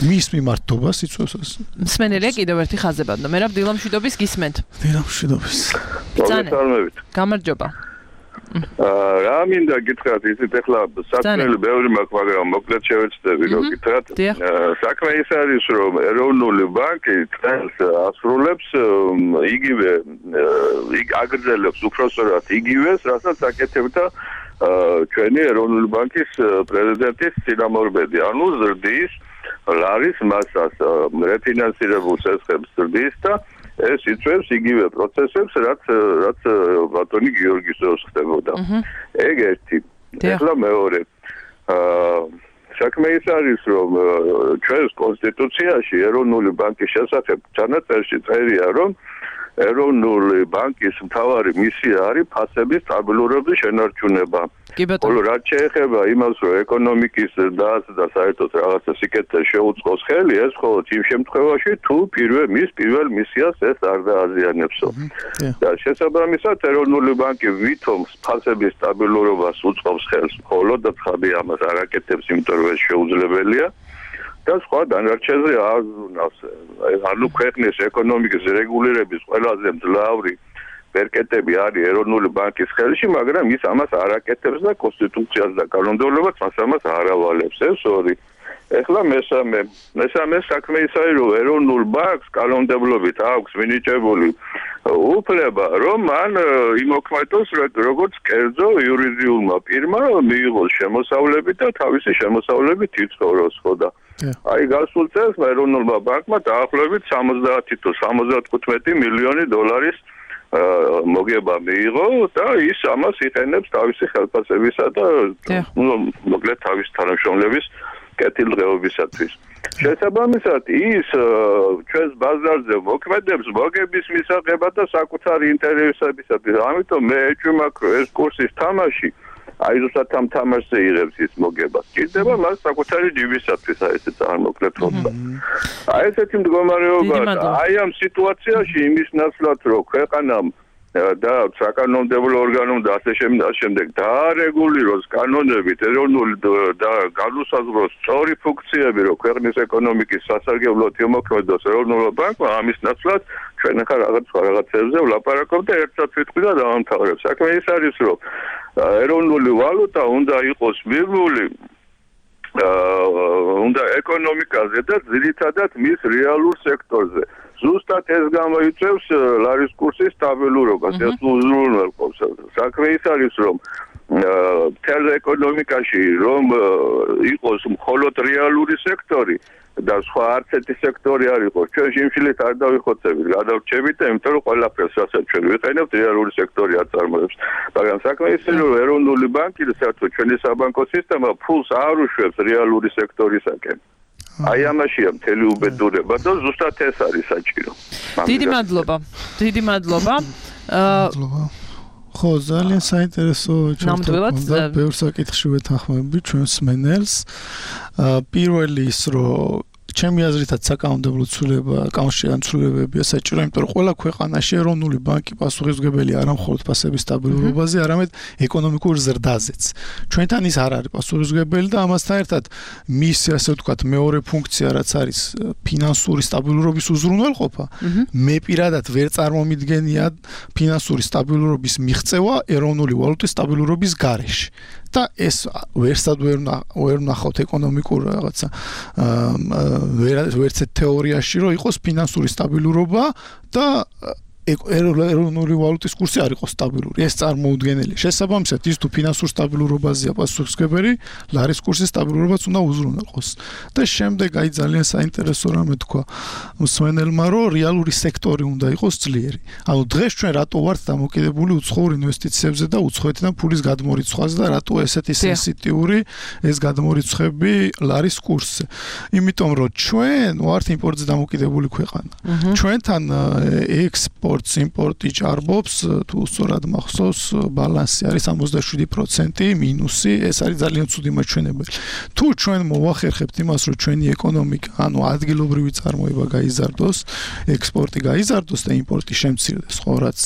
მის მიმართობას იწვევს ეს. მსმენელია კიდევ ერთი ხაზებადო. მერაბ დილა მშვიდობის გისმენთ. დილა მშვიდობის. მოგესალმებით. გამარჯობა. რა მინდა გითხრათ, იცით ახლა საქმეები ბევრი მაქვს, მაგრამ მოკლედ შევეცდები რომ გითხრათ. საქმე ის არის, რომ ეროვნული ბანკი წელს ასრულებს იგივე აგრძელებს უпроსორად იგივეს, რასაც აკეთებდა ჩვენი ეროვნული ბანკის პრეზიდენტის წინამორბედი, ანუ ზრდის ლარის მასას, რეფინანსირებულ სესხებს ზრდის და ეს იწვევს იგივე პროცესებს, რაც რაც ბატონი გიორგისოს ხდებოდა. ეგ ერთი. ახლა მეორე. აა საქმე ის არის, რომ ჩვენს კონსტიტუციაში ეროვნული ბანკის შესახებ ჩანაწერში წერია, რომ ეროვნული ბანკის მთავარი მისია არის ფასების სტაბილურობის შენარჩუნება. ხოლო რაც შეეხება იმას, რომ ეკონომიკის ზრდას და საერთოდ რაღაცა სიკეთეს შეუწყოს ხელი, ეს მხოლოდ იმ შემთხვევაში, თუ პირველ მის პირველ მისიას ეს არ დააზიანებსო. და შესაბამისად, ეროვნული ბანკი ვითომ ფასების სტაბილურობას უწყობს ხელს, მხოლოდ და ცხადი ამას არ აკეთებს, იმიტომ რომ ეს შეუძლებელია. და სხვა დანარჩენზე აზრუნავს. ანუ ქვეყნის ეკონომიკის რეგულირების ყველაზე მძლავრი ბერკეტები არის ეროვნული ბანკის ხელში, მაგრამ ის ამას არ აკეთებს და კონსტიტუციას და კანონმდებლობას მას ამას არ ავალებს. ეს ორი. ეხლა მესამე, მესამე საქმე ის არის, რომ ეროვნულ ბანკს კანონმდებლობით აქვს მინიჭებული უფლება, რომ მან იმოქმედოს როგორც კერძო იურიდიულმა პირმა, მიიღოს შემოსავლები და თავისი შემოსავლებით იცხოვროს, ხო და აი გასულ წელს ეროვნულმა ბანკმა დაახლოებით სამოცდაათი თუ სამოცდათხუთმეტი მილიონი დოლარის მოგება მიიღო და ის ამას იყენებს თავისი ხელფასებისა და მოკლედ თავისი თანამშრომლების კეთილდღეობისათვის. შესაბამისად, ის ჩვენს ბაზარზე მოქმედებს მოგების მისაღებად და საკუთარი ინტერესებისათვის. ამიტომ მე ეჭვმაქვს, რომ ეს კურსის თამაში აი ზუსტად ამ თამაშზე იღებს ის მოგებას. ჭირდება მას საკუთარი ჯიბისათვის აი ესე წარმოქმნით რომ. აი ესეთი მდგომარეობა აი ამ სიტუაციაში იმის ნაცვლად რომ ქვეყანამ და საკანონმდებლო ორგანომ და ასე შემდეგ დაარეგულიროს კანონებით ეროვნული და განუსაზღვროს სწორი ფუნქციები, რომ ქვეყნის ეკონომიკის სასარგებლოდ იმოქმედოს ეროვნულ ბანკმა, ამის ნაცვლად ჩვენ ახლა რაღაც სხვა რაღაცებზე ვლაპარაკობთ და ერთად ვიტყვი და დავამთავრებ. საქმე ის არის, რომ ეროვნული ვალუტა უნდა იყოს მიღებული უნდა ეკონომიკაზე და ძირითადად მის რეალურ სექტორზე. ზუსტად ეს გამოიწვევს ლარის კურსის სტაბილურობას, ეს უზრუნველყოფს. საქმე ის არის, რომ მთელ ეკონომიკაში რომ იყოს მხოლოდ რეალური სექტორი და სხვა არც ერთი სექტორი არ იყოს, ჩვენ შიმშილით არ დავიხოცებით, გადავრჩებით და იმიტომ რომ ყველაფერს რასაც ჩვენ ვიყენებთ რეალური სექტორი აწარმოებს. მაგრამ საქმე ისე რომ ეროვნული ბანკი და საერთოდ ჩვენი საბანკო სისტემა ფულს არ უშვებს რეალური სექტორისაკენ. აი ამაშია მთელი უბედურება და ზუსტად ეს არის საჭირო. დიდი მადლობა. დიდი მადლობა. ხო, ძალიან საინტერესო ჩართვა. ბევრ საკითხში ვეთანხმები ჩვენს მენელს. პირველი ის რომ ჩემი აზრითაც საკანონმდებლო ცვლილება, კანონშეან ცვლილებებია საჭირო, იმიტომ რომ ყველა ქვეყანაში ეროვნული ბანკი პასუხისმგებელი არა მხოლოდ ფასების სტაბილურობაზე, არამედ ეკონომიკურ ზრდაზეც. ჩვენთან ის არ არის პასუხისმგებელი და ამასთან ერთად მის ასე ვთქვათ მეორე ფუნქცია რაც არის ფინანსური სტაბილურობის უზრუნველყოფა, მე პირადად ვერ წარმომიდგენია ფინანსური სტაბილურობის მიღწევა ეროვნული ვალუტის სტაბილურობის გარეშე. და ეს ვერსად ვერ ვნახავთ ეკონომიკურ რაღაცა ვერც თეორიაში რომ იყოს ფინანსური სტაბილურობა და ეროვნული ვალუტის კურსი არ იყოს სტაბილური. ეს წარმოუდგენელი. შესაბამისად, ის თუ ფინანსურ სტაბილურობაზეა პასუხისმგებელი, ლარის კურსის სტაბილურობაც უნდა უზრუნველყოს. და შემდეგ აი ძალიან საინტერესო რამე თქვა მსმენელმა, რომ რეალური სექტორი უნდა იყოს ძლიერი. ანუ დღეს ჩვენ რატო ვართ დამოკიდებული უცხოურ ინვესტიციებზე და უცხოეთიდან ფულის გადმორიცხვაზე და რატო ესეთი სენსიტიური ეს გადმორიცხვები ლარის კურსზე. იმიტომ რომ ჩვენ ვართ იმპორტზე დამოკიდებული ქვეყანა. ჩვენთან ექსპორტ იმპორტი ჭარბობს, თუ სწორად მახსოვს, ბალანსი არის სამოცდაშვიდი პროცენტი მინუსი, ეს არის ძალიან ცუდი მაჩვენებელი. თუ ჩვენ მოვახერხებთ იმას, რომ ჩვენი ეკონომიკა, ანუ ადგილობრივი წარმოება გაიზარდოს, ექსპორტი გაიზარდოს და იმპორტი შემცირდეს, ხო, რაც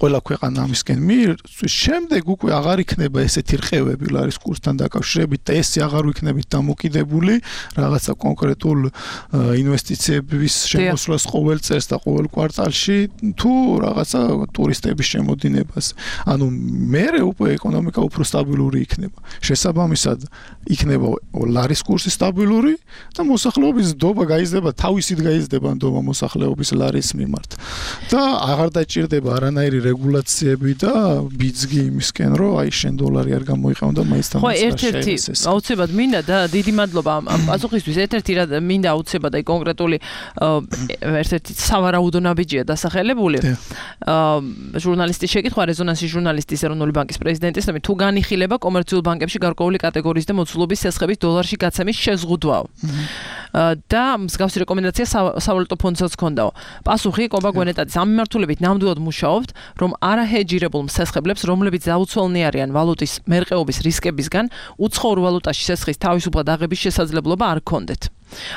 ყველა ქვეყანა ამისკენ მიირწვის, შემდეგ უკვე აღარ იქნება ესეთი რყევები ლარის კურსთან დაკავშირებით და ესე აღარ ვიქნებით დამოკიდებული რაღაცა კონკრეტულ ინვესტიციების შემოსვლას ყოველ წელს და ყოველ კვარტალში თუ რაღაცა ტურისტების შემოდინებას. ანუ მერე უკვე ეკონომიკა უფრო სტაბილური იქნება. შესაბამისად, იქნება ლარის კურსი სტაბილური და მოსახლეობის ნდობა გაიზრდება, თავისით გაიზრდება ნდობა მოსახლეობის ლარის მიმართ. და აღარ დაჭირდება არანაირი რეგულაციები და ბიძგი იმისკენ, რომ აი შენ დოლარი არ გამოიყენო და მაინც ხო, ერთ-ერთი აუცილებლად მინდა და დიდი მადლობა ამ პასუხისთვის. ერთ-ერთი რა მინდა აუცილებლად აი კონკრეტული ერთ-ერთი სავარაუდო ნაბიჯია დასახელებული. ჟურნალისტის შეკითხვა, რეზონანსის ჟურნალისტის ეროვნული ბანკის პრეზიდენტის, თუ განიხილება კომერციულ ბანკებში გარკვეული კატეგორიის და მოცულობის სესხების დოლარში გაცემის შეზღუდვაო. და მსგავსი რეკომენდაცია სავალუტო ფონდსაც ჰქონდაო. პასუხი კობა გვენეტაძის ამ მიმართულებით ნამდვილად მუშაობთ, რომ არაჰეჯირებულ მსესხებლებს, რომლებიც დაუცველნი არიან ვალუტის მერყეობის რისკებისგან, უცხოურ ვალუტაში სესხის თავისუფლად აღების შესაძლებლობა არ ჰქონდეთ.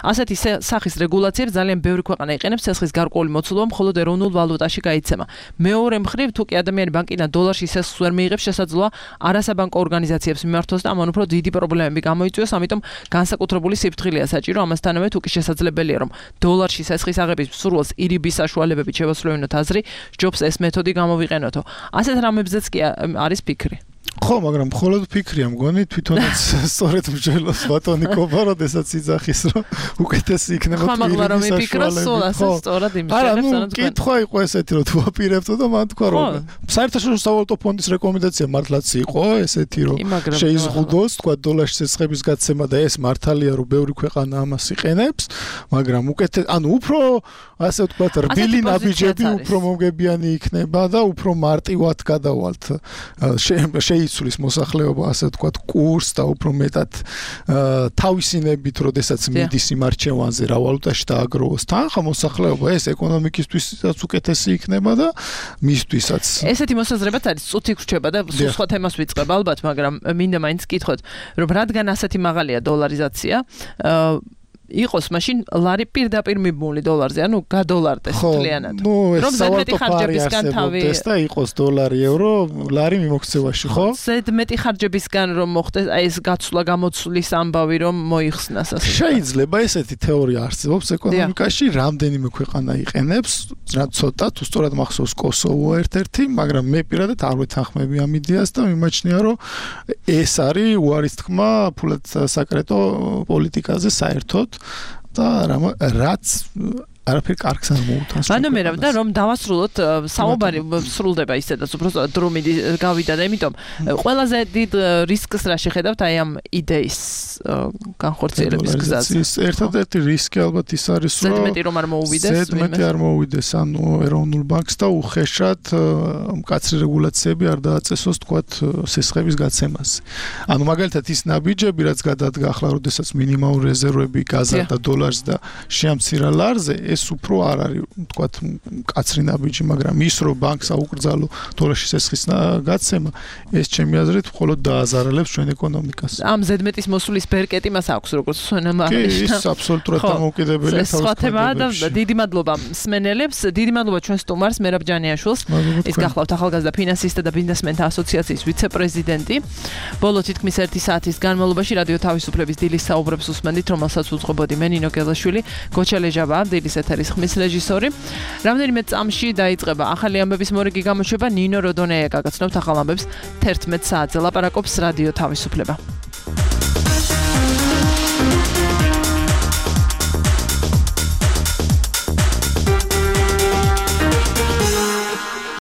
ასეთი სახის რეგულაციები ძალიან ბევრი ქვეყანა იყენებს ცეცხლის გარკვეული მოცულობა მხოლოდ ეროვნულ ვალუტაში გაიცემა. მეორე მხრივ, თუ კი ადამიანი ბანკიდან დოლარში ცეცხლს ვერ მიიღებს, შესაძლოა არასაბანკო ორგანიზაციებს მიმართოს და ამან უფრო დიდი პრობლემები გამოიწვიოს, ამიტომ განსაკუთრებული სიფრთხილეა საჭირო. ამასთანავე, თუ კი შესაძლებელია, რომ დოლარში ცეცხლის აღების მსურველს ირიბის საშუალებებით შევასრულებინოთ აზრი, ჯობს ეს მეთოდი გამოვიყენოთო. ასეთ რამებზეც კი არის ფიქრი. ხო, მაგრამ მხოლოდ ფიქრია მგონი, თვითონაც სწორედ მსჯელოს ბატონი კობა, როდესაც იძახის, რომ უკეთესი იქნება თვითონ. ხო, მაგრამ რომ იფიქროს, სულ სწორად იმჟელებს, ანუ კითხვა იყო ესეთი, რომ თუ აპირებდო და მან თქვა, რომ საერთაშორისო სავალუტო ფონდის რეკომენდაცია მართლაც იყო ესეთი, რომ შეიზღუდოს, თქვა დოლარში ცეცხლების გაცემა და ეს მართალია, რომ ბევრი ქვეყანა ამას იყენებს, მაგრამ უკეთე, ანუ უფრო ასე ვთქვათ, რბილი ნაბიჯები უფრო მომგებიანი იქნება და უფრო მარტივად გადავალთ შეიცვლის მოსახლეობა, ასე ვთქვათ, კურსს და უფრო მეტად თავისინებით, როდესაც მიდის იმ არჩევანზე რა ვალუტაში დააგროვოს თანხა მოსახლეობა, ეს ეკონომიკისთვისაც უკეთესი იქნება და მისთვისაც. ესეთი მოსაზრებაც არის, წუთი გრჩება და სულ სხვა თემას ვიწყებ ალბათ, მაგრამ მინდა მაინც გკითხოთ, რომ რადგან ასეთი მაღალია დოლარიზაცია, იყოს მაშინ ლარი პირდაპირ მიბმული დოლარზე, ანუ გადოლარდეს მთლიანად. რომ ზედმეტი ხარჯებისგან თავი და იყოს დოლარი, ევრო, ლარი მიმოქცევაში, ხო? ზედმეტი ხარჯებისგან რომ მოხდეს, აი ეს გაცვლა გამოცვლის ამბავი რომ მოიხსნას ასე. შეიძლება ესეთი თეორია არსებობს ეკონომიკაში, რამდენიმე ქვეყანა იყენებს, რაც ცოტა, თუ სწორად მახსოვს კოსოვო ერთ-ერთი, მაგრამ მე პირადად არ ვეთანხმები ამ იდეას და მიმაჩნია, რომ ეს არის უარის თქმა ფულად საკრეტო პოლიტიკაზე საერთოდ და რაც არაფერ კარგს არ მოუთანს. ვანომერავ და რომ დავასრულოთ, საუბარი სრულდება ისედაც უფრო დრო გავიდა და იმიტომ ყველაზე დიდ რისკს რა შეხედავთ აი ამ იდეის განხორციელების გზაზე. ერთადერთი რისკი ალბათ ის არის, რომ ზედმეტი რომ არ მოუვიდეს, ზედმეტი არ მოუვიდეს ანუ ეროვნულ ბანკს და უხეშად მკაცრი რეგულაციები არ დააწესოს თქვათ სესხების გაცემაზე. ანუ მაგალითად ის ნაბიჯები, რაც გადადგა ახლა, როდესაც მინიმალური რეზერვები გაზარდა დოლარს და შეამცირა ლარზე, ეს უფრო არ არის თქვათ მკაცრი ნაბიჯი, მაგრამ ის რომ ბანკს აუკრძალო დოლარში სესხის გაცემა, ეს ჩემი აზრით მხოლოდ დააზარალებს ჩვენ ეკონომიკას. ამ ზედმეტის მოსulis ბერკეტი მას აქვს, როგორც სვენა კი, ის აბსოლუტურად დამოუკიდებელია თავის სხვა და დიდი მადლობა მსმენელებს, დიდი მადლობა ჩვენ სტუმარს მერაბ ჯანიაშვილს. ის გახლავთ ახალგაზრდა ფინანსისტთა და ბიზნესმენთა ასოციაციის ვიცე-პრეზიდენტი. ბოლო თითქმის ერთი საათის განმავლობაში რადიო თავისუფლების დილის საუბრებს უსმენდით, რომელსაც უძღვებოდი მე ნინო გელაშვილი, გოჩალეჟავა, დილის ეთერის ხმის რეჟისორი. რამდენიმე წამში დაიწყება ახალი ამბების მორიგი გამოშვება, ნინო როდონეა გაგაცნობთ ახალ ამბებს თერთმეტ საათზე. ლაპარაკობს რადიო თავისუფლება.